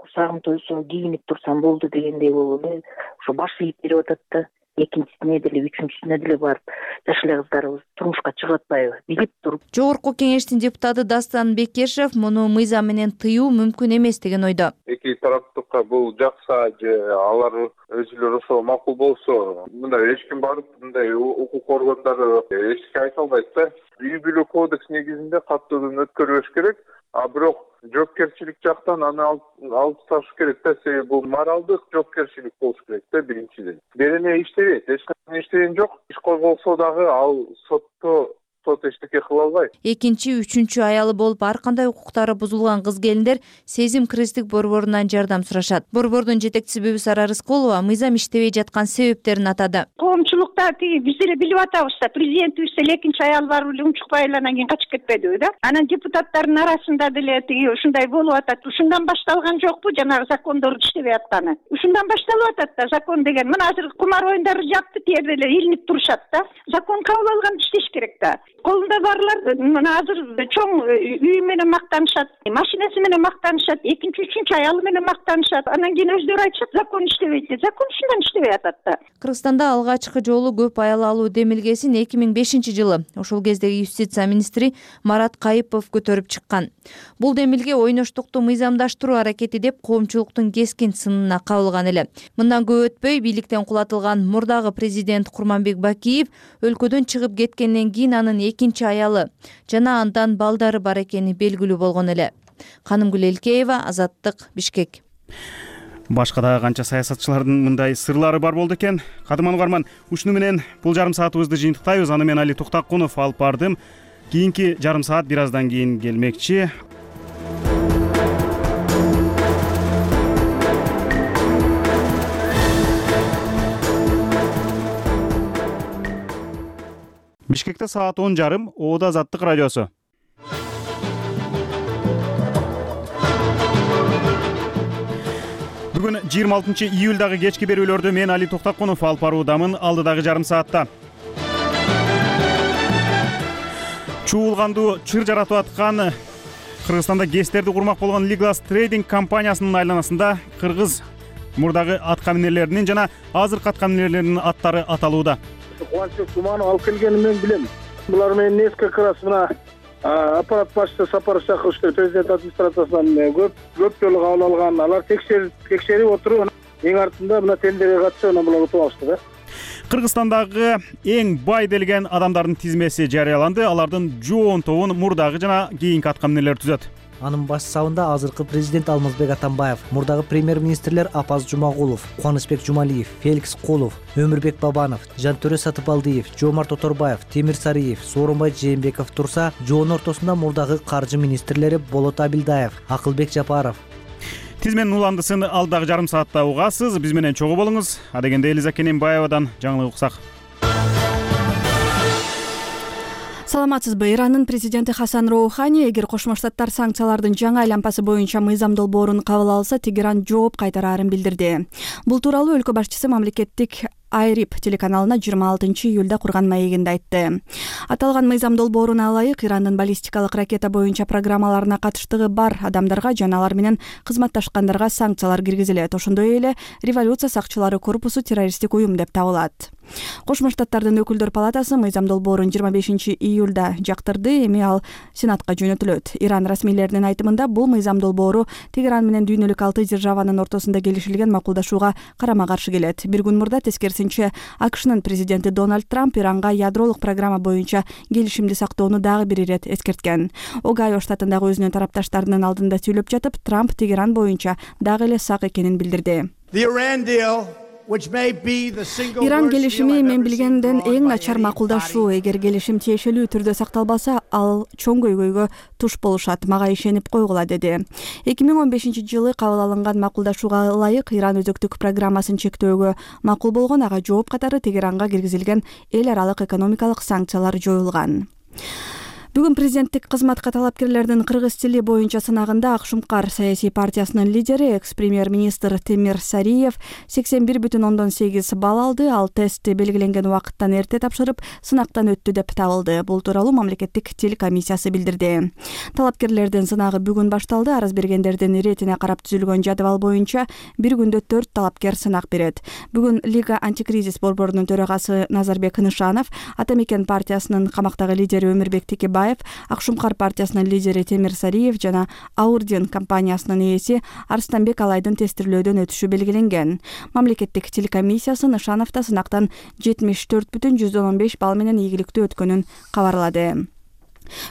курсагым тойсо кийинип турсам болду дегендей болуп эле ошо баш ийип берип атат да. Экинчисине деле, үчүнчүсүнө деле барып жаш эле кыздарыбыз турмушка чыгып атпайбы, билип туруп.
Жогорку кеңештин депутаты Дастан Бекешев муну мыйзам менен тыюу мүмкүн эмес деген ойдо.
Эки тараптыкка бул жакса же алар өзүлөр ошо макул болсо, мындай эч ким барып мындай укук органдары эчке айта албайт да. Үй бүлө кодекс негизинде каттуудан өткөрүш керек, а бирок жоопкерчилик жактан аны алып ташташ керек да. Себеби бул моралдык жоопкерчилик болуш керек да биринчиден. Берене иштебейт, эч кандай иштеген жок. Иш козголсо дагы ал сот эчтеке кыла албайт.
Экинчи, үчүнчү аялы болуп ар кандай укуктары бузулган кыз келиндер Сезим кризистик борборунан жардам сурашат. Борбордун жетекчиси Бүбүсара Рыскулова мыйзам иштебей жаткан себептерин атады.
Коомчулук убакта тиги биз деле билип атабыз да, президентибиз деле экинчи аялы бар эле унчукпай эле анан кийин качып кетпедиби да. Анан депутаттардын арасында деле тиги ушундай болуп атат. Ушундан башталган жокпу жанагы закондордун иштебей атканы? Ушундан башталып атат да закон деген. Мына азыр кумар оюндары жапты, тиерде эле илинип турушат да. Закон кабыл алган иштеш керек да. Колунда барлар мына азыр чоң үй менен мактанышат, машинеси менен мактанышат, экинчи, үчүнчү аялы менен мактанышат. Анан кийин өздөрү айтышат, закон иштебейт деп. Закон ушундан иштебей атат да.
Кыргызстанда алгачкы жолу көп аял алуу демилгесин 2005-жылы ошол кездеги юстиция министри Марат Кайыпов көтөрүп чыккан. Бул демилге ойноштукту мыйзамдаштыруу аракети деп коомчулуктун кескин сынына кабылган эле. Мындан көп өтпөй бийликтен кулатылган мурдагы президент Курманбек Бакиев өлкөдөн чыгып кеткенден кийин анын экинчи аялы жана андан балдары бар экени белгилүү болгон эле. Канымгүл Элкеева, Азаттык, Бишкек.
Башка да канча саясатчылардын мындай сырлары бар болду экен. Кадырман угарман, ушуну менен бул жарым саатыбызды жыйынтыктайбыз. Аны мен Али Токтакунов алып бардым. Кийинки жарым саат бир аздан кийин келмекчи. Бишкекте саат 10:30, Оода Азаттык радиосу. Бүгүн 26-июлдагы кечки берүүлөрдү мен Али Токтакунов алып баруудамын. Алдыдагы жарым саатта чуулгандуу чыр жаратып аткан Кыргызстанда ГЭСтерди курмак болгон Liglas Trading компаниясынын айланасында кыргыз мурдагы аткаминерлеринин жана азыркы аткаминерлеринин аттары аталууда.
Кубанычбек Туманов алып келгенин мен билем. Булар менен несколько раз мына аппарат башчысы Сапаров Шакырович президент администрациясынан көп жолу кабыл алган. Алар текшерип отуруп, эң артында мына тендерге катышып, анан булар утуп алышты да.
Кыргызстандагы эң бай делген адамдардын тизмеси жарыяланды. Алардын жоон тобун мурдагы жана кийинки аткаминерлер түзөт.
Анын баш сабында азыркы президент Алмазбек Атамбаев, мурдагы премьер-министрлер Апаз Жумагулов, Кубанычбек Жумалиев, Феликс Кулов, Өмүрбек Бабанов, Жантөрө Сатыбалдиев, Жомарт Оторбаев, Темир Сариев, Сооронбай Жээнбеков турса, жоон ортосунда мурдагы каржы министрлери Болот Абилдаев, Акылбек Жапаров.
Тизменин уландысын алдагы жарым саатта угасыз. Биз менен чогуу болуңуз. Адегенде Элиза Кененбаевадан жаңылык уксак.
Саламатсызбы? Ирандын президенти Хасан Роухани эгер Кошмо Штаттар санкциялардын жаңы айланпасы боюнча мыйзам долбоорун кабыл алса, Тегеран жооп кайтараарын билдирди. Бул тууралуу өлкө башчысы мамлекеттик Айрип телеканалына 26-июлда курган маегинде айтты. Аталган мыйзам долбооруна ылайык Ирандын баллистикалык ракета боюнча программаларына катыштыгы бар адамдарга жана алар менен кызматташкандарга санкциялар киргизилет. Ошондой эле революция сакчылары корпусу террористтик уюм деп табылат. Кошмо Штаттардын өкүлдөр палатасы мыйзам долбоорун 25-июлда жактырды. Эми ал Сенатка жөнөтүлөт. Иран расмийлеринин айтымында бул мыйзам долбоору Тегеран менен дүйнөлүк 6 державанын ортосунда келишилген макулдашууга карама-каршы келет. Бир күн мурда тескерисинче АКШнын президенти Дональд Трамп Иранга ядролук программа боюнча келишимди сактоону дагы бир ирет эскерткен. Огайо штатындагы өзүнүн тарапташтарынын алдында сүйлөп жатып, Трамп Тегеран боюнча дагы эле сак экенин билдирди. Иран келишими мен билгенден эң начар макулдашуу. Эгер келишим тиешелүү түрдө сакталбаса, ал чоң көйгөйгө туш болушат. Мага ишенип койгула, деди. 2015-жылы кабыл алынган макулдашууга ылайык Иран өзөктүк программасын чектөөгө макул болгон. Ага жооп катары Тегеранга киргизилген эл аралык экономикалык санкциялар жоюлган. Бүгүн президенттик кызматка талапкерлердин кыргыз тили боюнча сынагында Акшумкар саясий партиясынын лидери экс-премьер-министр Темир Сариев 81,8 балл алды. Ал тестти белгиленген убакыттан эрте тапшырып, сынактан өттү деп табылды. Бул тууралуу мамлекеттик тил комиссиясы билдирди. Талапкерлердин сынагы бүгүн башталды. Арыз бергендердин иретине карап түзүлгөн жадыбал боюнча бир күндө 4 талапкер сынак берет. Бүгүн Лига антикризис борборунун төрагасы Назарбек Нышанов, Атамекен партиясынын камактагы лидери Өмүрбек Текебаев, Акшумкар партиясынын лидери Темир Сариев жана Аурден компаниясынын ээси Арстанбек Алайдын тестирлөөдөн өтүшү белгиленген. Мамлекеттик тил комиссиясы Нышановду сынактан 74,115 балл менен ийгиликтүү өткөнүн кабарлады.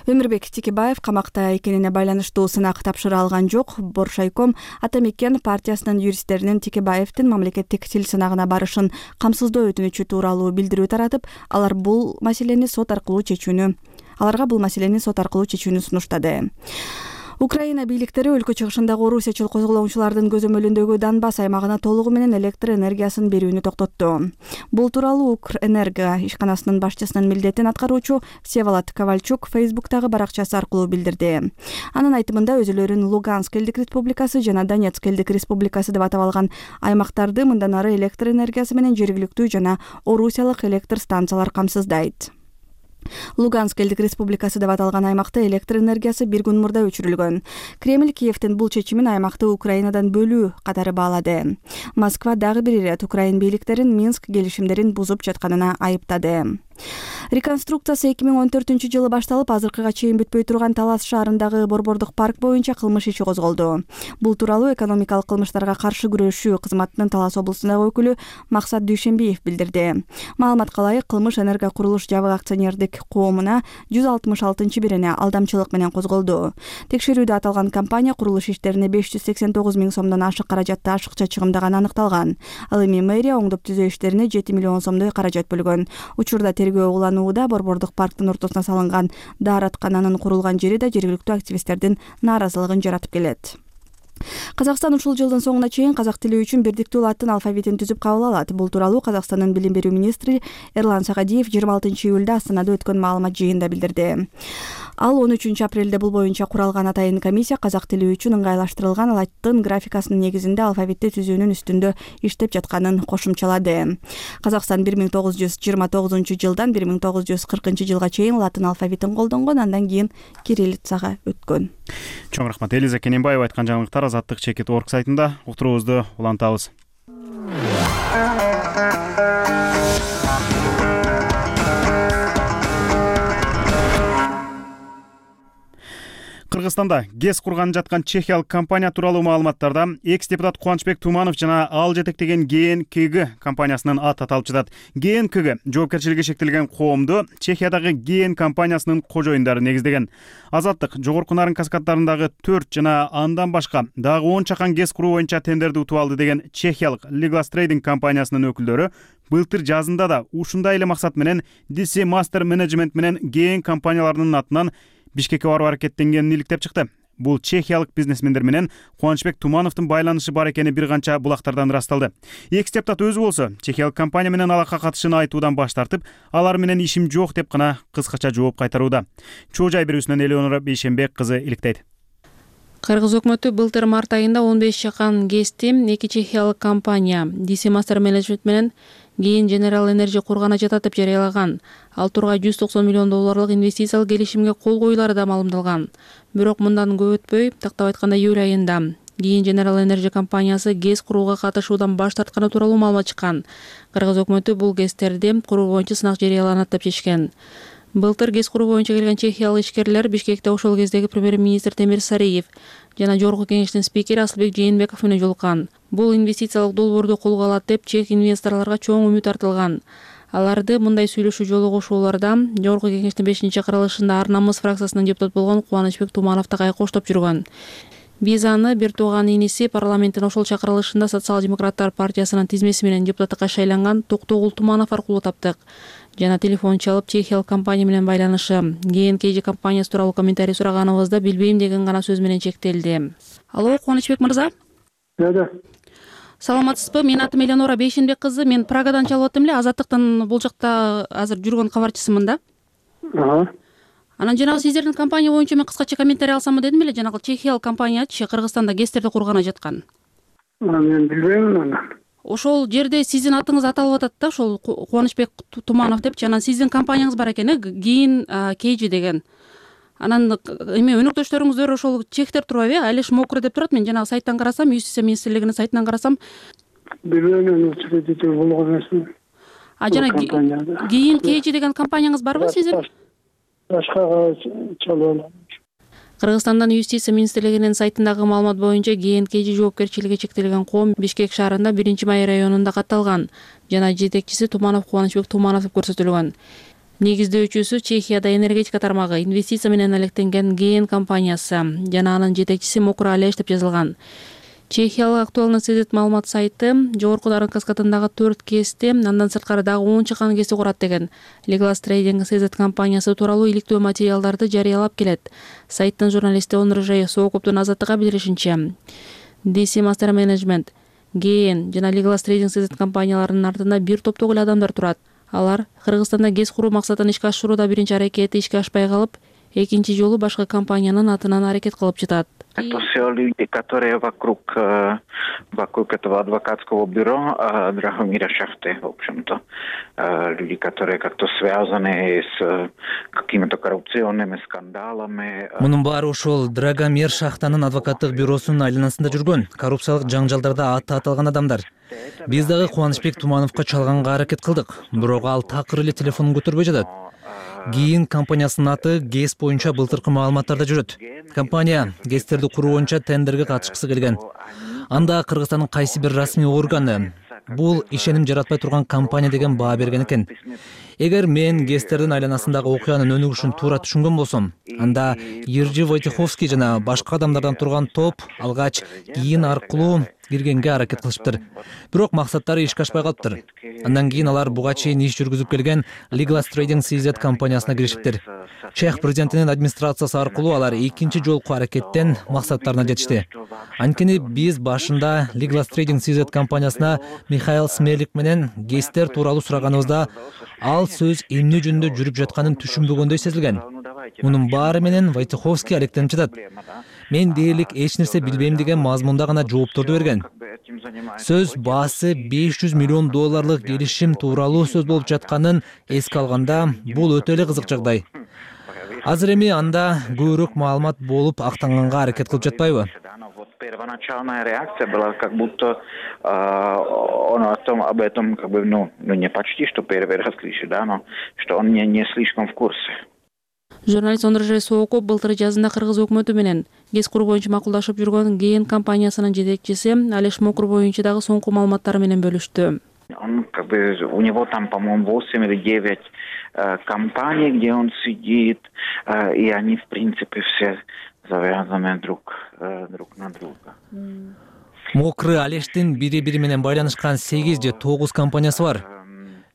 Өмүрбек Текебаев камакта экенине байланыштуу сынак тапшыра алган жок. Боршайком Атамекен партиясынын юристтеринин Текебаевдин мамлекеттик тил сынагына барышын камсыздоо өтүнүчү тууралуу билдирүү таратып, аларга бул маселени сот аркылуу чечүүнү сунуштады. Украина бийликтери өлкө чыгышындагы орусиячыл козголоңчулардын көзөмөлүндөгү Донбасс аймагына толугу менен электр энергиясын берүүнү токтотту. Бул тууралуу Укрэнерго ишканасынын башчысынын милдетин аткаруучу Всеволод Ковальчук Фейсбуктагы баракчасы аркылуу билдирди. Анын айтымында өзүлөрүн Луганск элдик республикасы жана Донецк элдик республикасы деп атап алган аймактарды мындан ары электр энергиясы менен жергиликтүү жана орусиялык электр станциялар камсыздайт. Луганск элдик республикасы деп аталган аймакта электр энергиясы бир күн мурда өчүрүлгөн. Кремль Киевдин бул чечимин аймакты Украинадан бөлүү катары баалады. Москва дагы бир ирет Украин бийликтерин Минск келишимдерин бузуп жатканына айыптады. Реконструкциясы 2014-жылы башталып, азыркыга чейин бүтпөй турган Талас шаарындагы борбордук парк боюнча кылмыш иши козголду. Бул тууралуу экономикалык кылмыштарга каршы күрөшүү кызматынын Талас облусундагы өкүлү Максат Дүйшенбиев билдирди. Маалыматка ылайык, кылмыш Энерго курулуш жабык акционердик коомуна 166-бирине алдамчылык менен козголду. Текшерүүдө аталган компания курулуш иштерине 589 миң сомдон ашык каражатты ашыкча чыгымдаганы аныкталган. Ал эми мэрия оңдоп түзөө иштерине 7 миллион сомдой каражат бөлгөн. Учурда тергөө уланууда, борбордук парктын ортосуна салынган даараткананын курулган жери да жергиликтүү активисттердин нааразылыгын жаратып келет. Казакстан ушул жылдын соңуна чейин казак тили үчүн бирдиктүү латын алфавитин түзүп кабыл алат. Бул тууралуу Казакстандын билим берүү министри Эрлан Сагадиев 26-июлда Астанада өткөн маалымат жыйынында билдирди. Ал 13 апрелде бул боюнча куралган атайын комиссия казак тили үчүн ыңгайлаштырылган латын графикасынын негизинде алфавитти түзүүнүн үстүндө иштеп жатканын кошумчалады. Казакстан 1929-жылдан 1940-жылга чейин латын алфавитин колдонгон, андан кийин кириллицага өткөн.
Чоң рахмат. Элиза Кененбаева айткан жаңылыктар Азаттык Чекит.org сайтында. Уктуруубузду улантабыз. Кыргызстанда ГЭС курган жаткан чехиялык компания тууралуу маалыматтарда экс-депутат Кубанычбек Туманов жана ал жетектеген ГНКГ компаниясынын аты аталып жатат. ГНКГ жоопкерчилиги шектелген коомду Чехиядагы ГН компаниясынын кожоюндары негиздеген. Азаттык жогорку Нарын каскаддарындагы 4 жана андан башка дагы 10 чакан ГЭС куруу боюнча тендерди утуп алды деген чехиялык Liglas Trading компаниясынын өкүлдөрү былтыр жазында да ушундай эле максат менен DC Master Management менен ГН компанияларынын атынан Бишкекке барып аракеттенгенин иликтеп чыкты. Бул чехиялык бизнесмендер менен Кубанычбек Тумановдун байланышы бар экени бир канча булактардан ырасталды. Экс-депутат өзү болсо чехиялык компания менен алака катышын айтуудан баш тартып, алар менен ишим жок деп гана кыскача жооп кайтарууда. Чоо жай берүүсүнөн Элеонора Бейшенбек кызы иликтейт.
Кыргыз өкмөтү былтыр март айында 15 чакан ГЭСти эки чехиялык компания DC Master Management менен ГН General Energy кургана жатат деп жарыялаган. Ал тургай $190 миллион инвестициялык келишимге кол коюлары да маалымдалган. Бирок мындан көп өтпөй, тактап айтканда июль айында ГН General Energy компаниясы ГЭС курууга катышуудан баш тартканы тууралуу маалымат чыккан. Кыргыз өкмөтү бул ГЭСтерди куруу боюнча сынак жарыяланат деп чечкен. Былтыр ГЭС куруу боюнча келген чехиялык ишкерлер Бишкекте ошол кездеги премьер-министр Темир Сариев жана Жогорку кеңештин спикери Асылбек Жээнбеков менен жолуккан. Бул инвестициялык долбоорду колго алат деп чех инвесторлорго чоң үмүт артылган. Аларды мындай сүйлөшүү жолугушууларда Жогорку кеңештин 5-кырылышында Ар намыс фракциясынын депутаты болгон Кубанычбек Туманов да кайкоштоп жүргөн. Биз аны бир тууган иниси парламенттин ошол чакырылышында Социал-демократтар партиясынын тизмеси менен депутаттыкка шайланган Токтогул Туманов аркылуу таптык. Жана телефон чалып чехиялык компания менен байланышы ГНКЖ компаниясы тууралуу комментарий сураганыбызда билбейм деген гана сөз менен чектелди. Алло, Кубанычбек мырза. Саламатсызбы? Менин атым Элеонора Бейшенбек кызы. Мен Прагадан чалып аттым эле. Азаттыктын бул жакта азыр жүргөн кабарчысымын да. Анан жанагы сиздердин компания боюнча мен кыскача комментарий алсамбы дедим эле. Жанагы чехиялык компаниячы Кыргызстанда ГЭСтерди кургана жаткан.
Мен билбейм аны.
Ошол жерде сиздин атыңыз аталып атат да, ошол Кубанычбек Туманов деп. Анан сиздин компанияңыз бар экен, ГНКЖ деген. Анан эме өнөктөштөрүңүздөр ошол чехтер турбайбы? Алиш Мокро деп турат. Мен жанагы сайттан карасам, Юстиция министрлигинин сайтынан карасам.
Билбейм, учредитель болгон эмесмин.
Жана ГНКЖ деген компанияңыз барбы сиздин?
Башкага чалып алам.
Кыргызстандын Юстиция министрлигинин сайтындагы маалымат боюнча ГНКЖ жоопкерчилиги чектелген коом Бишкек шаарында 1-Май районунда катталган жана жетекчиси Туманов Кубанычбек Туманов деп көрсөтүлгөн. Негиздөөчүсү Чехияда энергетика тармагы инвестиция менен алектенген ГН компаниясы жана анын жетекчиси Мокро Алеш деп жазылган. Чехиялык актуалный сезет маалымат сайты жогорку Нарын каскадындагы 4 КСти андан сырткары дагы 10 чакан КСти курат деген Legal Trading сезет компаниясы тууралуу иликтөө материалдарды жарыялап келет. Сайттын журналисти Онржай Соокоптун Азаттыкка билдиришинче, DC Master Management, GN жана Legal Trading сезет компанияларынын артында бир топтогу эле адамдар турат. Алар Кыргызстанда ГЭС куруу максатын ишке ашырууда биринчи аракети ишке ашпай калып, экинчи жолу башка компаниянын атынан аракет кылып жатат.
Это все люди, которые вокруг этого адвокатского бюро Драгомира Шахты, в общем-то. Люди, которые как-то связаны с какими-то коррупционными скандалами.
Мунун баары ошол Драгомир Шахтанын адвокаттык бюросунун айланасында жүргөн, коррупциялык жаңжалдарда аты аталган адамдар. Биз дагы Кубанычбек Тумановго чалганга аракет кылдык, бирок ал такыр эле телефонун көтөрбөй жатат. ГИИН компаниясынын аты ГЭС боюнча былтыркы маалыматтарда жүрөт. Компания ГЭСтерди куруу боюнча тендерге катышкысы келген. Анда Кыргызстандын кайсы бир расмий органы бул ишеним жаратпай турган компания деген баа берген экен. Эгер мен ГЭСтердин айланасындагы окуянын өнүгүшүн туура түшүнгөн болсом, анда Ержи Войтиховский жана башка адамдардан турган топ алгач ГИИН аркылуу киргенге аракет кылышыптыр. Бирок максаттары ишке ашпай калыптыр. Андан кийин алар буга чейин иш жүргүзүп келген Legal Trading CZ компаниясына киришиптир. Чех президентинин администрациясы аркылуу алар экинчи жолку аракеттен максаттарына жетишти. Анткени биз башында Legal Trading CZ компаниясына Михаил Смелик менен ГЭСтер тууралуу сураганыбызда ал сөз эмне жөнүндө жүрүп жатканын түшүнбөгөндөй сезилген. Мунун баары менен Войтиховский алектенип жатат. Мен дээрлик эч нерсе билбейм деген мазмунда гана жоопторду берген. Сөз баасы $500 миллион келишим тууралуу сөз болуп жатканын эске алганда бул өтө эле кызык жагдай. Азыр эми анда көбүрөөк маалымат болуп актанганга аракет кылып жатпайбы?
Первоначальная реакция была как будто он об этом как бы не почти что первый раз кричит, да, но что он не слишком в курсе.
Журналист Онржай Соокоп былтыр жазында Кыргыз өкмөтү менен ГЭС куруу боюнча макулдашып жүргөн ГН компаниясынын жетекчиси Алеш Мокур боюнча дагы соңку маалыматтары менен бөлүштү.
Он как бы у него там, по-моему, 8 или 9 компаний, где он сидит, и они в принципе все завязаны друг на друга.
Мокры Алештин бири-бири менен байланышкан 8 же 9 компаниясы бар.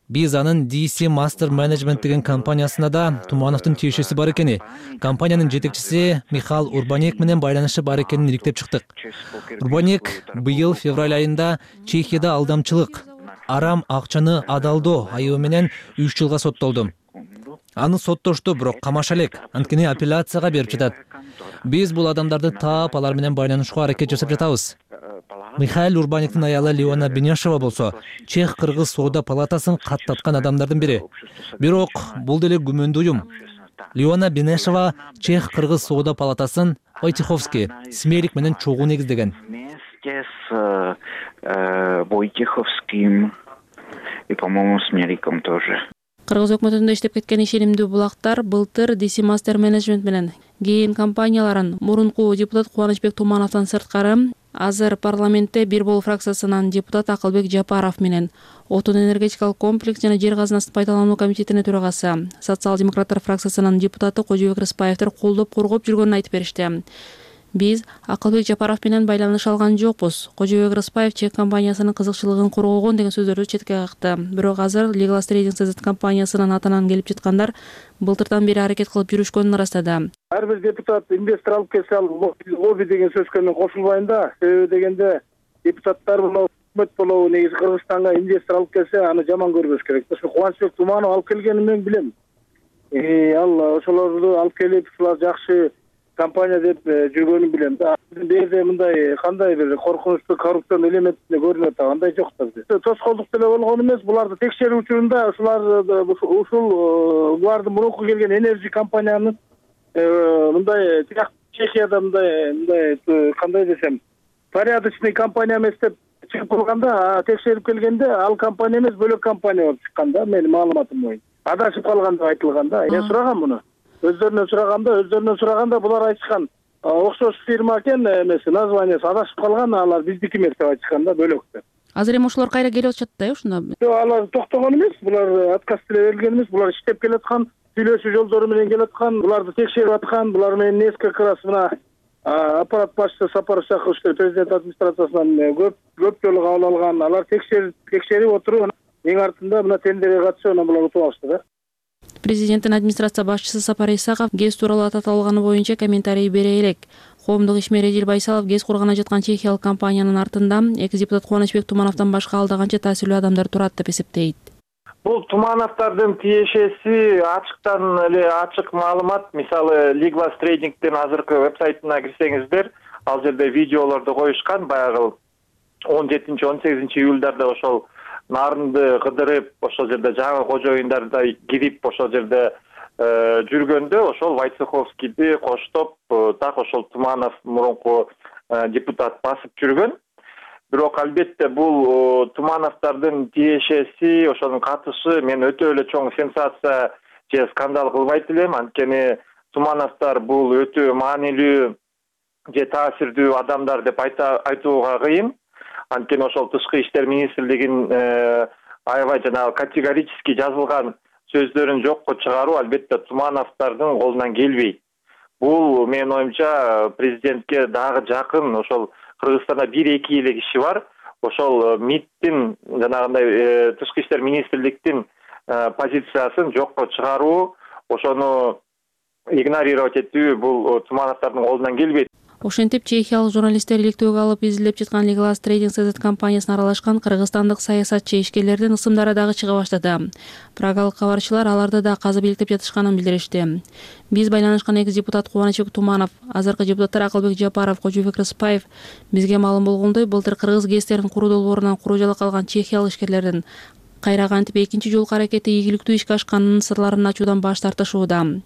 Биз анын DC Master Management деген компаниясына да Тумановдун тиешеси бар экени, компаниянын жетекчиси Михаил Урбанек менен байланышы бар экенин иликтеп чыктык. Урбанек быйыл февраль айында Чехияда алдамчылык, арам акчаны адалдоо айыбы менен 3 жылга соттолду. Аны соттошту, бирок камаша элек, анткени апелляцияга берип жатат. Биз бул адамдарды таап, алар менен байланышууга аракет жасап жатабыз. Михаил Урбанектин аялы Леона Бенешева болсо, Чех-Кыргыз соода палатасын каттаткан адамдардын бири. Бирок бул деле күмөндүү уюм. Леона Бенешева Чех-Кыргыз соода палатасын Войтиховский, Смелик менен чогуу негиздеген.
Вместе с Войтиховским и, по-моему, Смеликом тоже.
Кыргыз өкмөтүндө иштеп кеткен ишенимдүү булактар былтыр DC Master Management менен ГН компанияларын мурунку депутат Кубанычбек Тумановдон сырткары азыр парламентте бир болуу фракциясынын депутат Акылбек Жапаров менен отун энергетикалык комплекс жана жер казынасын пайдалануу комитетинин төрагасы социал-демократтар фракциясынын депутаты Кожобек Рыспаевдер колдоп коргоп жүргөнүн айтып беришти. Биз Акылбек Жапаров менен байланыш алган жокпуз. Кожобек Рыспаев чек компаниясынын кызыкчылыгын коргогон деген сөздөрдү четке какты. Бирок азыр Legal Trading CZ компаниясынын атынан келип жаткандар былтырдан бери аракет кылып жүрүшкөнүн ырастады.
Ар бир депутат инвестор алып келсе, ал лобби деген сөзгө мен кошулбайм да. Себеби дегенде депутаттар болобу, өкмөт болобу, негизи Кыргызстанга инвестор алып келсе, аны жаман көрбөш керек. Ошо Кубанычбек Туманов алып келгенин мен билем. Ал ошолорду алып келип, ушулар жакшы компания деп жүргөнүн билем да. Бул жерде мындай кандай бир коркунучтуу коррупцион элементине көрүнөт да, андай жок да. Тоскоолдук деле болгон эмес, буларды текшерүү учурунда булардын мурунку келген энерджи компаниянын мындай Чехияда мындай кандай десем, порядочный компания эмес деп чыгып калганда, текшерип келгенде ал компания эмес, бөлөк компания болуп чыккан да, менин маалыматым боюнча. Адашып калган деп айтылган да. Мен сурагам муну. Өздөрүнөн сураганда булар айтышкан окшош фирма экен, эмеси названиясы адашып калган, алар биздики эмес деп айтышкан да, бөлөк деп.
Азыр эми ошолор кайра келип атышат да, ушунда.
Жок, алар токтогон эмес, булар отказ деле берилген эмес, булар иштеп келаткан, сүйлөшүү жолдору менен келаткан, буларды текшерип аткан, булар менен несколько раз мына аппарат башчысы Сапар Исакович президент администрациясынан көп жолу кабыл алган. Алар текшерип отуруп, эң артында мына тендерге катышып, анан булар утуп алышты да.
Президенттин администрация башчысы Сапар Исаков ГЭС тууралуу таталганы боюнча комментарий бере элек. Коомдук ишмер Эдил Байсалов ГЭС кургана жаткан чехиялык компаниянын артында экс-депутат Кубанычбек Тумановдон башка алда канча таасирлүү адамдар турат деп эсептейт.
Бул Тумановдордун тиешеси ачыктан эле ачык маалымат. Мисалы, Liglas Trading'дин азыркы вебсайтына кирсеңиздер, ал жерде видеолорду коюшкан. Баягы 17-18 июльдарда ошол нарынды кыдырып, ошол жерде жаңы кожоюндарда кирип, ошол жерде жүргөндө ошол Войцеховскийди коштоп, так ошол Туманов мурунку депутат басып жүргөн. Бирок албетте бул Тумановдордун тиешеси, ошонун катышы мен өтө эле чоң сенсация же скандал кылбайт элем. Анткени Тумановдор бул өтө маанилүү же таасирдүү адамдар деп айтууга кыйын. Анткени ошол Тышкы иштер министрлигинин аябай жанагы категорически жазылган сөздөрүн жокко чыгаруу албетте Тумановдордун колунан келбейт. Бул менин оюмча президентке дагы жакын, ошол Кыргызстанда 1-2 эле киши бар. Ошол МИДтин жанагындай Тышкы иштер министрликтин позициясын жокко чыгаруу, ошону игнорировать этүү бул Тумановдордун колунан келбейт.
Ошентип чехиялык журналисттер иликтөөгө алып изилдеп жаткан Liglas Trading CZ компаниясына аралашкан кыргызстандык саясатчы ишкерлердин ысымдары дагы чыга баштады. Прагалык кабарчылар аларды да казып иликтеп жатышканын билдиришти. Биз байланышкан экс-депутат Кубанычбек Туманов, азыркы депутаттар Акылбек Жапаров, Кожобек Рыспаев бизге маалым болгондой, былтыр кыргыз ГЭСтерин куруу долбоорунан куру жала калган чехиялык ишкерлердин кайра кантип экинчи жолку аракети ийгиликтүү ишке ашканынын сырларын ачуудан баш тартышууда.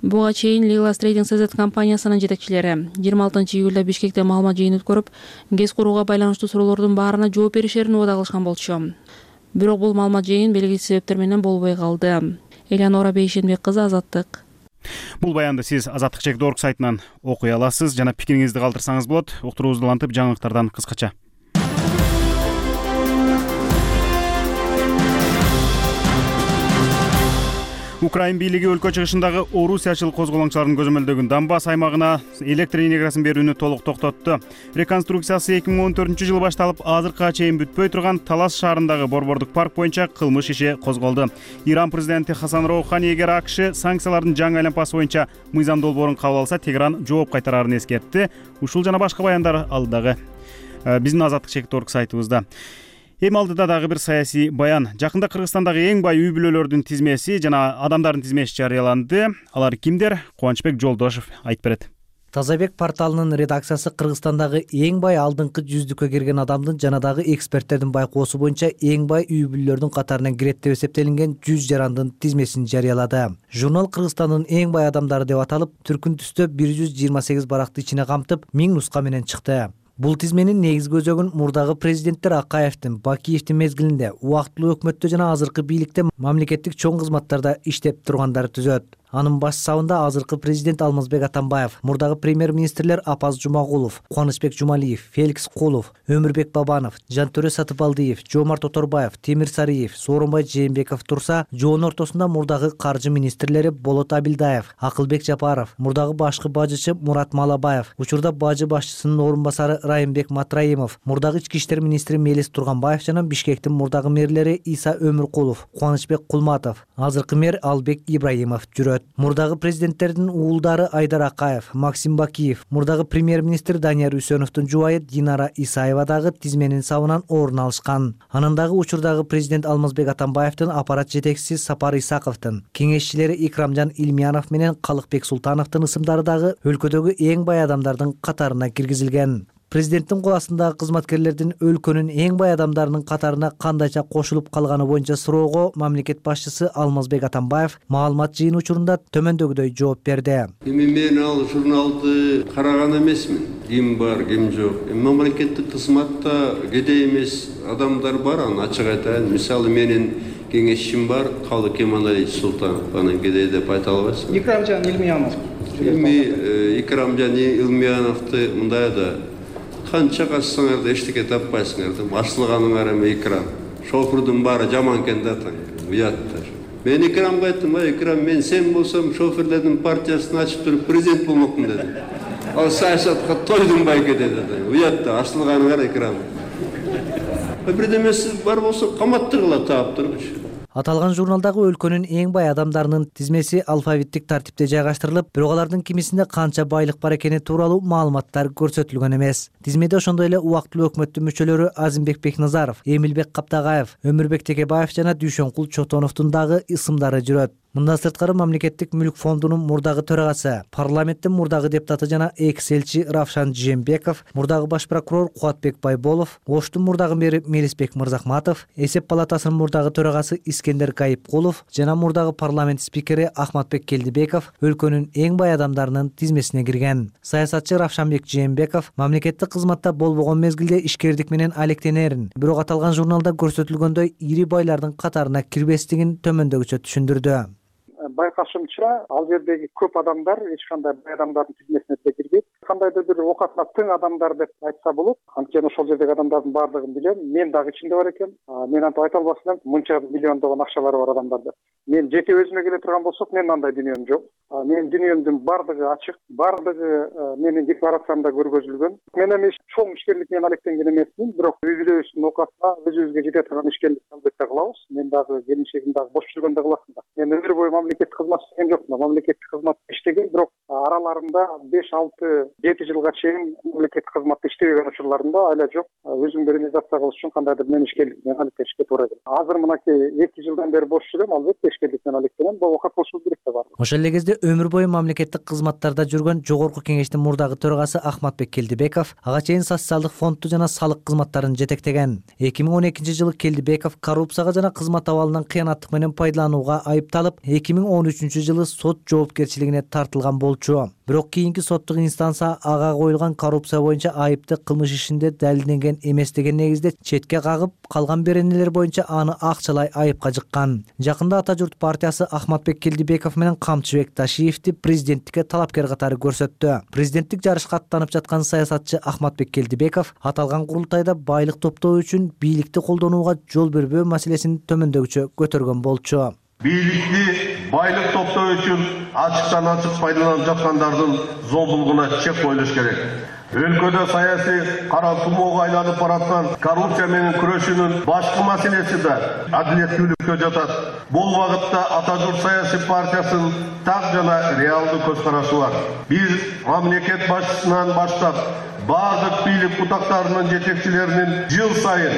Буга чейин Liglas Trading CZ компаниясынын жетекчилери 26 июлда Бишкекте маалымат жыйын өткөрүп, ГЭС курууга байланыштуу суроолордун баарына жооп беришерин убада кылышкан болчу. Бирок бул маалымат жыйын белгисиз себептер менен болбой калды. Элеонора Бейшенбек кызы, Азаттык.
Бул баянды сиз azattik.org сайтынан окуй аласыз жана пикириңизди калтырсаңыз болот. Уктуруубузду улантып, жаңылыктардан кыскача. Украин бийлиги өлкө чыгышындагы орусиячыл козголоңчулардын көзөмөлдөгөн Донбасс аймагына электр энергиясын берүүнү толук токтотту. Реконструкциясы 2014-жылы башталып, азыркыга чейин бүтпөй турган Талас шаарындагы борбордук парк боюнча кылмыш иши козголду. Иран президенти Хасан Роухани эгер АКШ санкциялардын жаңы айланпасы боюнча мыйзам долбоорун кабыл алса, Тегеран жооп кайтарарын эскертти. Ушул жана башка баяндар алдыдагы биздин azattik.org сайтыбызда. Эми алдыда дагы бир саясий баян. Жакында Кыргызстандагы эң бай үй бүлөлөрдүн тизмеси жана адамдардын тизмеси жарыяланды. Алар кимдер? Кубанычбек Жолдошов айтып берет.
Тазабек порталынын редакциясы Кыргызстандагы эң бай алдыңкы 100-дүккө кирген адамдын жана дагы эксперттердин байкоосу боюнча эң бай үй бүлөлөрдүн катарына кирет деп эсептелинген 100 жарандын тизмесин жарыялады. Журнал Кыргызстандын эң бай адамдары деп аталып, түркүн түстө 128 баракты ичине камтып, 1000 нуска менен чыкты. Бул тизменин негизги өзөгүн мурдагы президенттер Акаевдин, Бакиевдин мезгилинде убактылуу өкмөттө жана азыркы бийликте мамлекеттик чоң кызматтарда иштеп тургандары түзөт. Анын баш сабында азыркы президент Алмазбек Атамбаев, мурдагы премьер-министрлер Апаз Жумагулов, Кубанычбек Жумалиев, Феликс Кулов, Өмүрбек Бабанов, Жантөрө Сатыбалдиев, Жомарт Оторбаев, Темир Сариев, Сооронбай Жээнбеков турса, жоонун ортосунда мурдагы каржы министрлери Болот Абилдаев, Акылбек Жапаров, мурдагы башкы бажычы Мурат Малабаев, учурда бажы башчысынын орун басары Райымбек Матраимов, мурдагы ички иштер министри Мелис Турганбаев жана Бишкектин мурдагы мэрлери Иса Өмүркулов, Кубанычбек Кулматов, азыркы мэр Албек Ибраимов жүрөт. Мурдагы президенттердин уулдары Айдар Акаев, Максим Бакиев, мурдагы премьер-министр Данияр Үсөновдун жубайы Динара Исаева дагы тизменин сабынан орун алышкан. Анын дагы учурдагы президент Алмазбек Атамбаевдин аппарат жетекчиси Сапар Исаковдун, кеңешчилери Икрамжан Илмиянов менен Калыкбек Султановдун ысымдары дагы өлкөдөгү эң бай адамдардын катарына киргизилген. Президенттин кол астындагы кызматкерлердин өлкөнүн эң бай адамдарынын катарына кандайча кошулуп калганы боюнча суроого мамлекет башчысы Алмазбек Атамбаев маалымат жыйын учурунда төмөндөгүдөй жооп берди.
Мен ал журналды караган эмесмин. Ким бар, ким жок. Мамлекеттик кызматта кедей эмес адамдар бар, аны ачык айтайын. Мисалы менин кеңешчим бар, Калык Кемалалиевич Султанов, анын кедей деп айта албайсың.
Икрамжан Илмиянов.
Икрамжан Илмияновду мындай да канча качсаңар да эчтеке таппайсыңар да, ачылганыңар эме Икрам. Шофердун баары жаман экен да, уяттар. Мен Икрамга айттым, Икрам, мен сен болсом шоферлердин партиясын ачып туруп президент болмокмун дедим. ал саясатка тойдун байке деди. Уятта ачылганы кара экран. Бирдемеси бар болсо каматтыргыла таап турчу.
Аталган журналдагы өлкөнүн эң бай адамдарынын тизмеси алфавиттик тартипте жайгаштырылып, бирок алардын кимисинде канча байлык бар экени тууралуу маалыматтар көрсөтүлгөн эмес. Тизмеде ошондой эле убактылуу өкмөттүн мүчөлөрү Азимбек Бекназаров, Эмилбек Каптагаев, Өмүрбек Текебаев жана Дүйшөнкул Чотоновдун дагы ысымдары жүрөт. Мындан сырткары Мамлекеттик мүлк фондунун мурдагы төрагасы, парламенттин мурдагы депутаты жана экс-элчи Равшан Жээнбеков, мурдагы баш прокурор Кубатбек Байболов, Оштун мурдагы мэри Мелисбек Мырзахматов, Эсеп палатасынын мурдагы төрагасы Искендер Кайыпкулов жана мурдагы парламент спикери Ахматбек Келдибеков өлкөнүн эң бай адамдарынын тизмесине кирген. Саясатчы Равшанбек Жээнбеков мамлекеттик кызматта болбогон мезгилде ишкердик менен алектенерин, бирок аталган журналда көрсөтүлгөндөй ири байлардын катарына кирбестигин төмөндөгүчө түшүндүрдү.
Байкашымча, ал жердеги көп адамдар эч кандай бай адамдардын тизмесине кирбейт. Кандайдыр бир окатына тең адамдар деп айтса болот. Анткени ошол жердеги адамдардын баардыгын билем. Мен дагы ичинде бар экенмин. Мен антип айта албастын, мынча миллиондогон акчалары бар адамдар деп. Мен жеке өзүмө келе турган болсок, менин андай дүнүйөм жок. Менин дүнүйөмдүн баардыгы ачык, баардыгы менин декларациямда көргөзүлгөн. Мен эми чоң ишкерлик менен алектенген эмесмин, бирок үй-бүлөбүздүн окатына өзүбүзгө жете турган ишкерлик албетте кылабыз. Мен дагы келинчегим дагы бош жүргөндө кыласың да. Мен өмүр бою мамлекеттик кызмат иштеген жокмун. Мамлекеттик кызматта иштеген, бирок араларында 5-6-7 жылга чейин мамлекеттик кызматта иштебеген учурларымда айла жок. Өзүмдү реализация кылыш үчүн кандайдыр мен ишкерлик менен алектенишке туура келет. Азыр мынакей 2 жылдан бери бош жүрөм, албетте ишкерлик менен алектенем. Бул окат болушу керек деп бар.
Ошол эле кезде өмүр бою мамлекеттик кызматтарда жүргөн Жогорку Кеңештин мурдагы төрагасы Ахматбек Келдибеков ага чейин социалдык фондду жана салык кызматтарын жетектеген. 2012-жылы Келдибеков коррупцияга жана кызмат абалынан кыянаттык менен пайдаланууга айыпталып, 2013-жылы сот жоопкерчилигине тартылган болчу. Бирок кийинки соттук инстанция ага коюлган коррупция боюнча айыпты кылмыш ишинде далилденген эмес деген негизде четке кагып, калган беренелер боюнча аны акчалай айыпка жыккан. Жакында Ата журт партиясы Ахматбек Келдибеков менен Камчыбек Ташиевди президенттикке талапкер катары көрсөттү. Президенттик жарышка аттанып жаткан саясатчы Ахматбек Келдибеков аталган курултайда байлык топтоо үчүн бийликти колдонууга жол бербөө маселесин төмөндөгүчө көтөргөн болчу.
Бийликти байлык топтоо үчүн ачыктан ачык пайдаланып жаткандардын зомбулугуна чек коюлуш керек. Өлкөдө саясий кара тумоого айланып бараткан коррупция менен күрөшүүнүн башкы маселеси да адилеттүүлүккө жатат. Бул багытта Ата журт саясий партиясынын так жана реалдуу көз карашы бар. Биз мамлекет башчысынан баштап бардык бийлик бутактарынын жетекчилеринин жыл сайын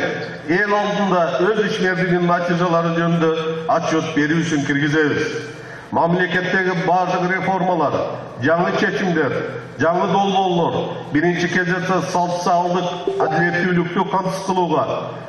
эл алдында өз ишмердигинин натыйжалары жөнүндө отчет берүүсүн киргизебиз. Мамлекеттеги бардык реформалар, жаңы чечимдер, жаңы долбоорлор биринчи кезекте социалдык адилеттүүлүктү камсыз кылууга,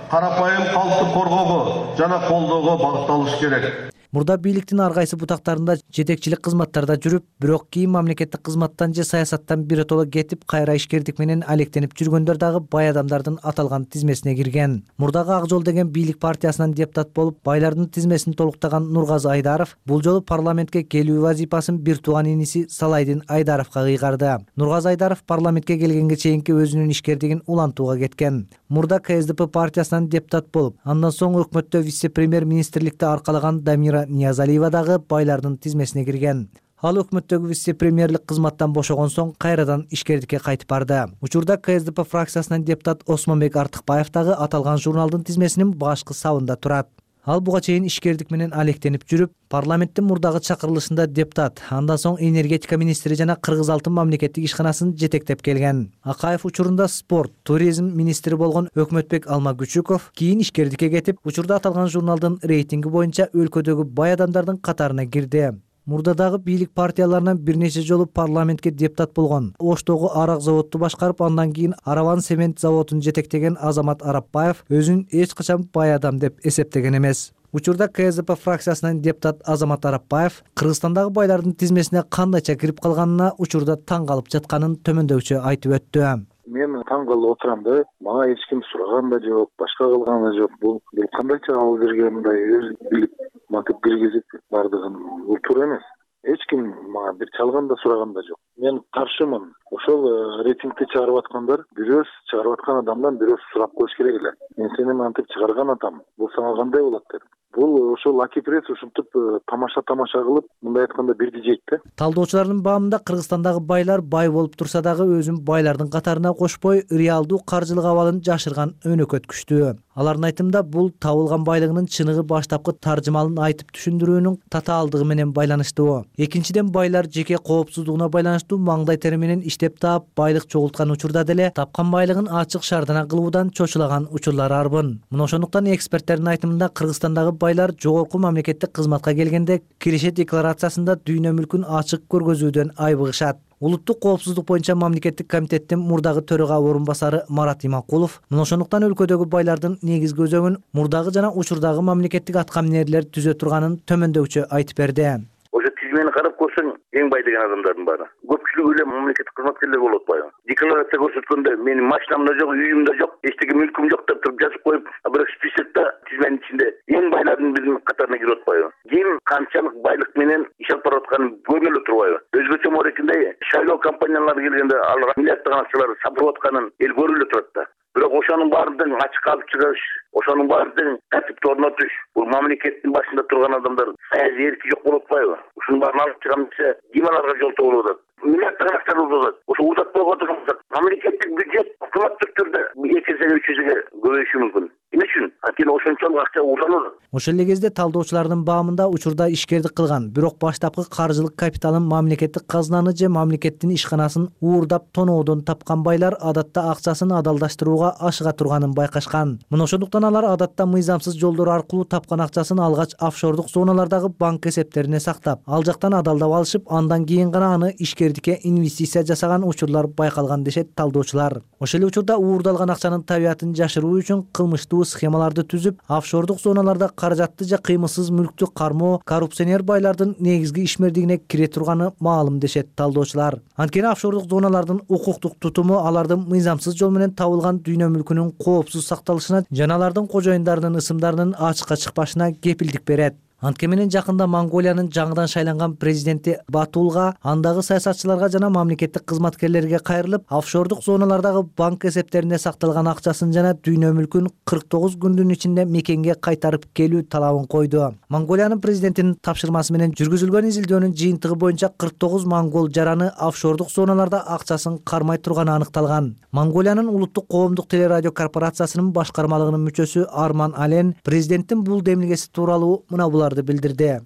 карапайым калкты коргоого жана колдоого багытталышы керек.
Мурда бийликтин ар кайсы бутактарында жетекчилик кызматтарда жүрүп, бирок кийин мамлекеттик кызматтан же саясаттан биротоло кетип, кайра ишкердик менен алектенип жүргөндөр дагы бай адамдардын аталган тизмесине кирген. Мурдагы Ак жол деген бийлик партиясынан депутат болуп, байлардын тизмесин толуктаган Нургазы Айдаров бул жолу парламентке келүү вазифасын бир тууган иниси Салайдин Айдаровго кыйгарды. Нургазы Айдаров парламентке келгенге чейинки өзүнүн ишкердигин улантууга кеткен. Мурда КСДП партиясынан депутат болуп, андан соң өкмөттө вице-премьер-министрликти аркалаган Дамира Ниязалиева дагы байлардын тизмесине кирген. Ал өкмөттөгү вице-премьерлик кызматтан бошогон соң кайрадан ишкердикке кайтып барды. Учурда КСДП фракциясынан депутат Осмонбек Артыкбаев дагы аталган журналдын тизмесинин башкы сабында турат. Ал буга чейин ишкердик менен алектенип жүрүп, парламенттин мурдагы чакырылышында депутат, андан соң энергетика министри жана Кыргыз алтын мамлекеттик ишканасын жетектеп келген. Акаев учурунда спорт, туризм министри болгон Өкмөтбек Алмагүчүков кийин ишкердикке кетип, учурда аталган журналдын рейтинги боюнча өлкөдөгү бай адамдардын катарына кирди. Мурда дагы бийлик партияларынан бир нече жолу парламентке депутат болгон. Оштогу арак заводду башкарып, андан кийин Араван цемент заводун жетектеген Азамат Арапбаев өзүн эч качан бай адам деп эсептеген эмес. Учурда КСДП фракциясынан депутат Азамат Арапбаев Кыргызстандагы байлардын тизмесине кандайча кирип калганына учурда таң калып жатканын төмөндөгүчө айтып өттү.
Мен таң калып отурам да, мага эч ким сураган да жок, башка кылган да жок. Бул кандайча алып берген мындай өз билип матып киргизип бардыгын, бул туура эмес. Эч ким мага бир чалган да сураган да жок. Мен каршымын. Ошол рейтингти чыгарып аткандар, бирөөс чыгарып аткан адамдан бирөөс сурап коюш керек эле. Мен сени мантип чыгарган атам. Бул сага кандай болот деп.
бул ошол аки пресс ушинтип тамаша кылып, мындай айтканда бирди жейт да.
Талдоочулардын баамында Кыргызстандагы байлар бай болуп турса дагы өзүн байлардын катарына кошпой, реалдуу каржылык абалын жашырган өнөкөт күчтүү. Алардын айтымында бул табылган байлыгынын чыныгы баштапкы таржымалын айтып түшүндүрүүнүн татаалдыгы менен байланыштуу. Экинчиден, байлар жеке коопсуздугуна байланыштуу маңдай тери менен иштеп таап, байлык чогулткан учурда деле тапкан байлыгын ачык шаардана кылуудан чочулаган учурлар арбын. Мына ошондуктан эксперттердин айтымында Кыргызстандагы байлар жогорку мамлекеттик кызматка келгенде киреше декларациясында дүйнө мүлкүн ачык көргөзүүдөн айбыгышат. Улуттук коопсуздук боюнча мамлекеттик комитеттин мурдагы төрага орун басары Марат Иманкулов мына ошондуктан өлкөдөгү байлардын негизги өзөгүн мурдагы жана учурдагы мамлекеттик аткаминерлер түзө турганын төмөндөкчө айтып берди.
Ошо тизмени карап көрсөң, эң бай деген адамдардын баары көпчүлүгү эле мамлекеттик кызматкерлер болуп атпайбы? Декларация көрсөткөндө менин машинам да жок, үйүм да жок, эчтеке мүлкүм жок деп туруп жазып коюп, бирок списокто тизменин ичинде эң байлардын биринин катарына кирип атпайбы? Ким канчалык байлык менен иш алып барып атканын көрүнө эле турбайбы? Өзгөчө морекинде шайлоо компаниялары келгенде алар миллиарддаган акчаларды сатып атканын эл көрүп эле турат да. Бирок ошонун баардыгын ачыкка алып чыгыш, ошонун баардыгын тартипти орнотуш, бул мамлекеттин башында турган адамдар саясий эрки жок болуп атпайбы? Ушунун баарын алып чыгам десе, ким аларга жол болуп атат? Миллиарддаган акча болуп. Ошо узатпай отурган болсок, мамлекеттик бюджет автоматтык түрдө 2 эсеге 3 эсеге көбөйүшү мүмкүн. Эмне үчүн? Анткени ошончолук акча узанат.
Ошол эле кезде талдоочулардын баамында учурда ишкердик кылган, бирок баштапкы каржылык капиталын мамлекеттик казынаны же мамлекеттин ишканасын уурдап тоноодон тапкан байлар адатта акчасын адалдаштырууга ашыга турганын байкашкан. Мына ошондуктан алар адатта мыйзамсыз жолдор аркылуу тапкан акчасын алгач офшордук зоналардагы банк эсептерине сактап, ал жактан адалдап алышып, андан кийин гана аны ишкердикке инвестиция жасаган учурлар байкалган дешет талдоочулар. Ошол эле учурда уурдалган акчанын табиятын жашыруу үчүн кылмыштуу схемаларды түзүп, офшордук зоналарда каражатты же кыймылсыз мүлктү кармоо коррупционер байлардын негизги ишмердигине кире турганы маалым дешет талдоочулар. Анткени офшордук зоналардын укуктук тутуму алардын мыйзамсыз жол менен табылган дүйнө мүлкүнүн коопсуз сакталышына жана алардын кожоюндарынын ысымдарынын ачыкка чыкпашына кепилдик берет. Антке менен жакында Монголиянын жаңыдан шайланган президенти Батулга, андагы саясатчыларга жана мамлекеттик кызматкерлерге кайрылып, офшордук зоналардагы банк эсептерине сакталган акчасын жана дүйнө мүлкүн 49 күндүн ичинде мекенге кайтарып келүү талабын койду. Монголиянын президентинин тапшырмасы менен жүргүзүлгөн изилдөөнүн жыйынтыгы боюнча 49 монгол жараны офшордук зоналарда акчасын кармай турганы аныкталган. Монголиянын улуттук коомдук телерадио корпорациясынын башкармалыгынын мүчөсү Арман Ален президенттин бул демилгеси тууралуу мына буларды билдирди.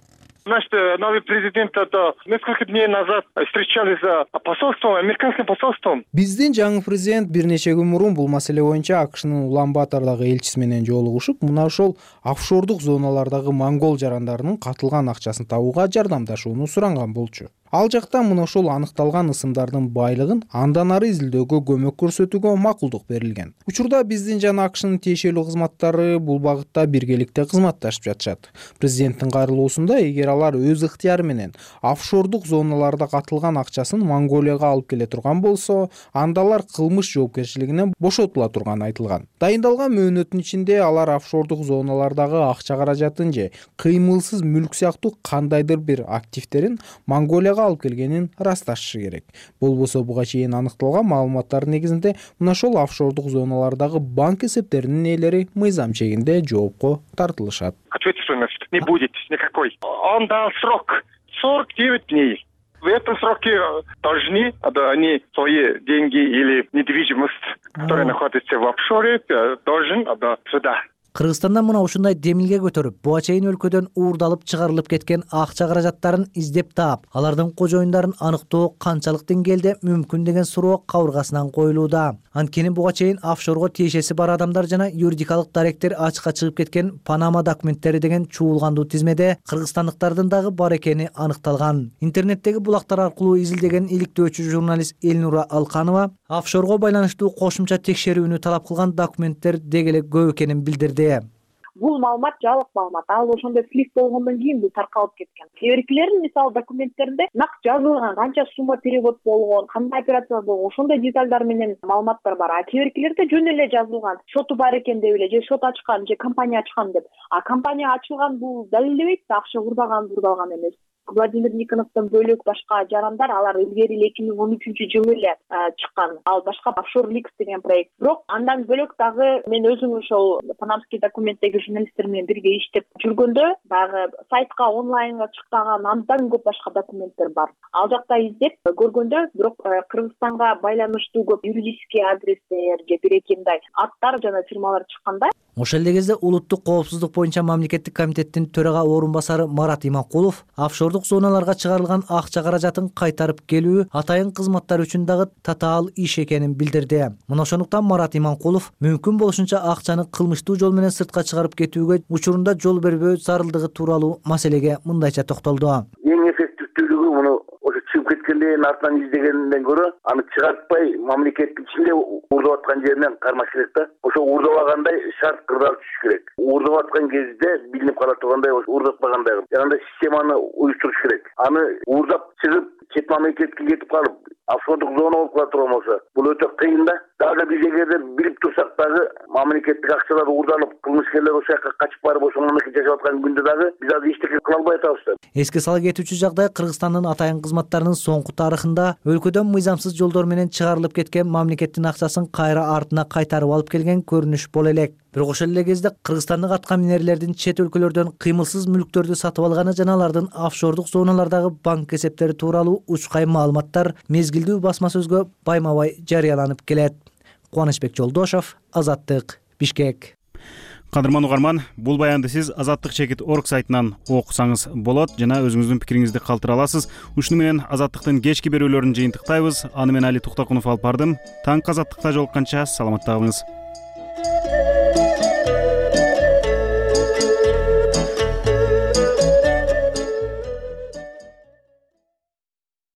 Значит, новый президент это несколько дней назад встречались с посольством, американским посольством.
Биздин жаңы президент бир нече күн мурун бул маселе боюнча АКШнын Улан-Батордагы элчиси менен жолугушуп, мына ошол офшордук зоналардагы монгол жарандарынын катылган акчасын табууга жардамдашууну суранган болчу. Ал жактан мына ошол аныкталган ысымдардын байлыгын андан ары изилдөөгө көмөк көрсөтүүгө макулдук берилген. Учурда биздин жана АКШнын тиешелүү кызматтары бул багытта биргеликте кызматташып жатышат. Президенттин кайрылуусунда эгер алар өз ыктыяры менен офшордук зоналарда катылган акчасын Монголияга алып келе турган болсо, анда алар кылмыш жоопкерчилигинен бошотула турганы айтылган. Дайындалган мөөнөттүн ичинде алар офшордук зоналардагы акча каражатын же кыймылсыз мүлк сыяктуу кандайдыр бир активтерин Монголияга алып келгенин ырасташышы керек. Болбосо буга чейин аныкталган маалыматтардын негизинде мына ошол офшордук зоналардагы банк эсептеринин ээлери мыйзам чегинде жоопко тартылышат.
Ответственности не будет никакой. Он дал срок 49 дней. В этом сроке должны они свои деньги или недвижимость, которая находится в офшоре, должен сюда.
Кыргызстандан мына ушундай демилге көтөрүп, буга чейин өлкөдөн уурдалып чыгарылып кеткен акча каражаттарын издеп таап, алардын кожоюндарын аныктоо канчалык деңгээлде мүмкүн деген суроо кабыргасынан коюлууда. Анткени буга чейин офшорго тиешеси бар адамдар жана юридикалык даректер ачыкка чыгып кеткен Панама документтери деген чуулгандуу тизмеде кыргызстандыктардын дагы бар экени аныкталган. Интернеттеги булактар аркылуу изилдеген иликтөөчү журналист Элнура Алканова офшорго байланыштуу кошумча текшерүүнү талап кылган документтер деги эле көп экенин билдирди.
Бул маалымат жалык маалымат. Ал ошондой флик болгондон кийин бул таркалып кеткен. Кээ биркилердин мисалы документтеринде нак жазылган, канча сумма перевод болгон, кандай операция болгон, ошондой детальдар менен маалыматтар бар. А кээ биркилерде жөн эле жазылган, шоту бар экен деп эле, же шот ачкан, же компания ачкан деп. А компания ачылган бул далилдебейт, акча урдалган эмес. Владимир Никоновдон бөлөк башка жарандар алар илгери эле 2013 эле чыккан. Ал башка Offshore Leaks деген проект. Бирок андан бөлөк дагы мен өзүм ошол панамский документтеги журналисттер менен бирге иштеп жүргөндө дагы сайтка онлайнга чыкпаган андан көп башка документтер бар. Ал жакта издеп көргөндө бирок Кыргызстанга байланыштуу көп юридический адрестер же бир-эки мындай аттар жана фирмалар чыкканда.
Ошол эле кезде улуттук коопсуздук боюнча мамлекеттик комитеттин төрага орун басары Марат Иманкулов офшордук зоналарга чыгарылган акча каражатын кайтарып келүү атайын кызматтар үчүн дагы татаал иш экенин билдирди. Мына ошондуктан Марат Иманкулов мүмкүн болушунча акчаны кылмыштуу жол менен сыртка чыгарып кетүүгө учурунда жол бербөө зарылдыгы тууралуу маселеге мындайча токтолду.
Эң эффективдүүлүгү муну ошо чыгып кеткенден артынан издегенден көрө аны чыгартпай мамлекеттин ичинде уурдап аткан жеринен кармаш керек да. Ошо уурдабагандай шарт кырдаал түшүш керек. Уурдап аткан кезде билинип кала тургандай, уурдатпагандай жанагындай системаны уюштуруш керек. Аны уурдап чыгып чет мамлекетке кетип калып офшордук зона болуп кала турган болсо бул өтө кыйын да. Дагы биз эгерде билип турсак дагы мамлекеттик акчалар уурдалып кылмышкерлер ошол жака качып барып ошол мамлекетте жашап аткан күндө дагы биз азыр эчтеке кыла албай атабыз да.
Эске сала кетүүчү жагдай Кыргызстандын атайын кызматтарынын соңку тарыхында өлкөдөн мыйзамсыз жолдор менен чыгарылып кеткен мамлекеттин акчасын кайра артына кайтарып алып келген көрүнүш боло элек. Бирок ошол эле кезде кыргызстандык атка минерлердин чет өлкөлөрдөн кыймылсыз мүлктөрдү сатып алганы жана алардын офшордук зоналардагы банк эсептери тууралуу учкай маалыматтар мезгилдүү басма сөзгө байма-бай жарыяланып келет. Кубанычбек Жолдошов, Азаттык, Бишкек.
Кадырман угарман, бул баянды сиз azattik.org сайтынан окусаңыз болот жана өзүңүздүн пикириңизди калтыра аласыз. Ушуну менен Азаттыктын кечки берүүлөрүн жыйынтыктайбыз. Аны мен Али Туктакунов алып бардым. Таң Азаттыкта жолукканча саламатта калыңыз.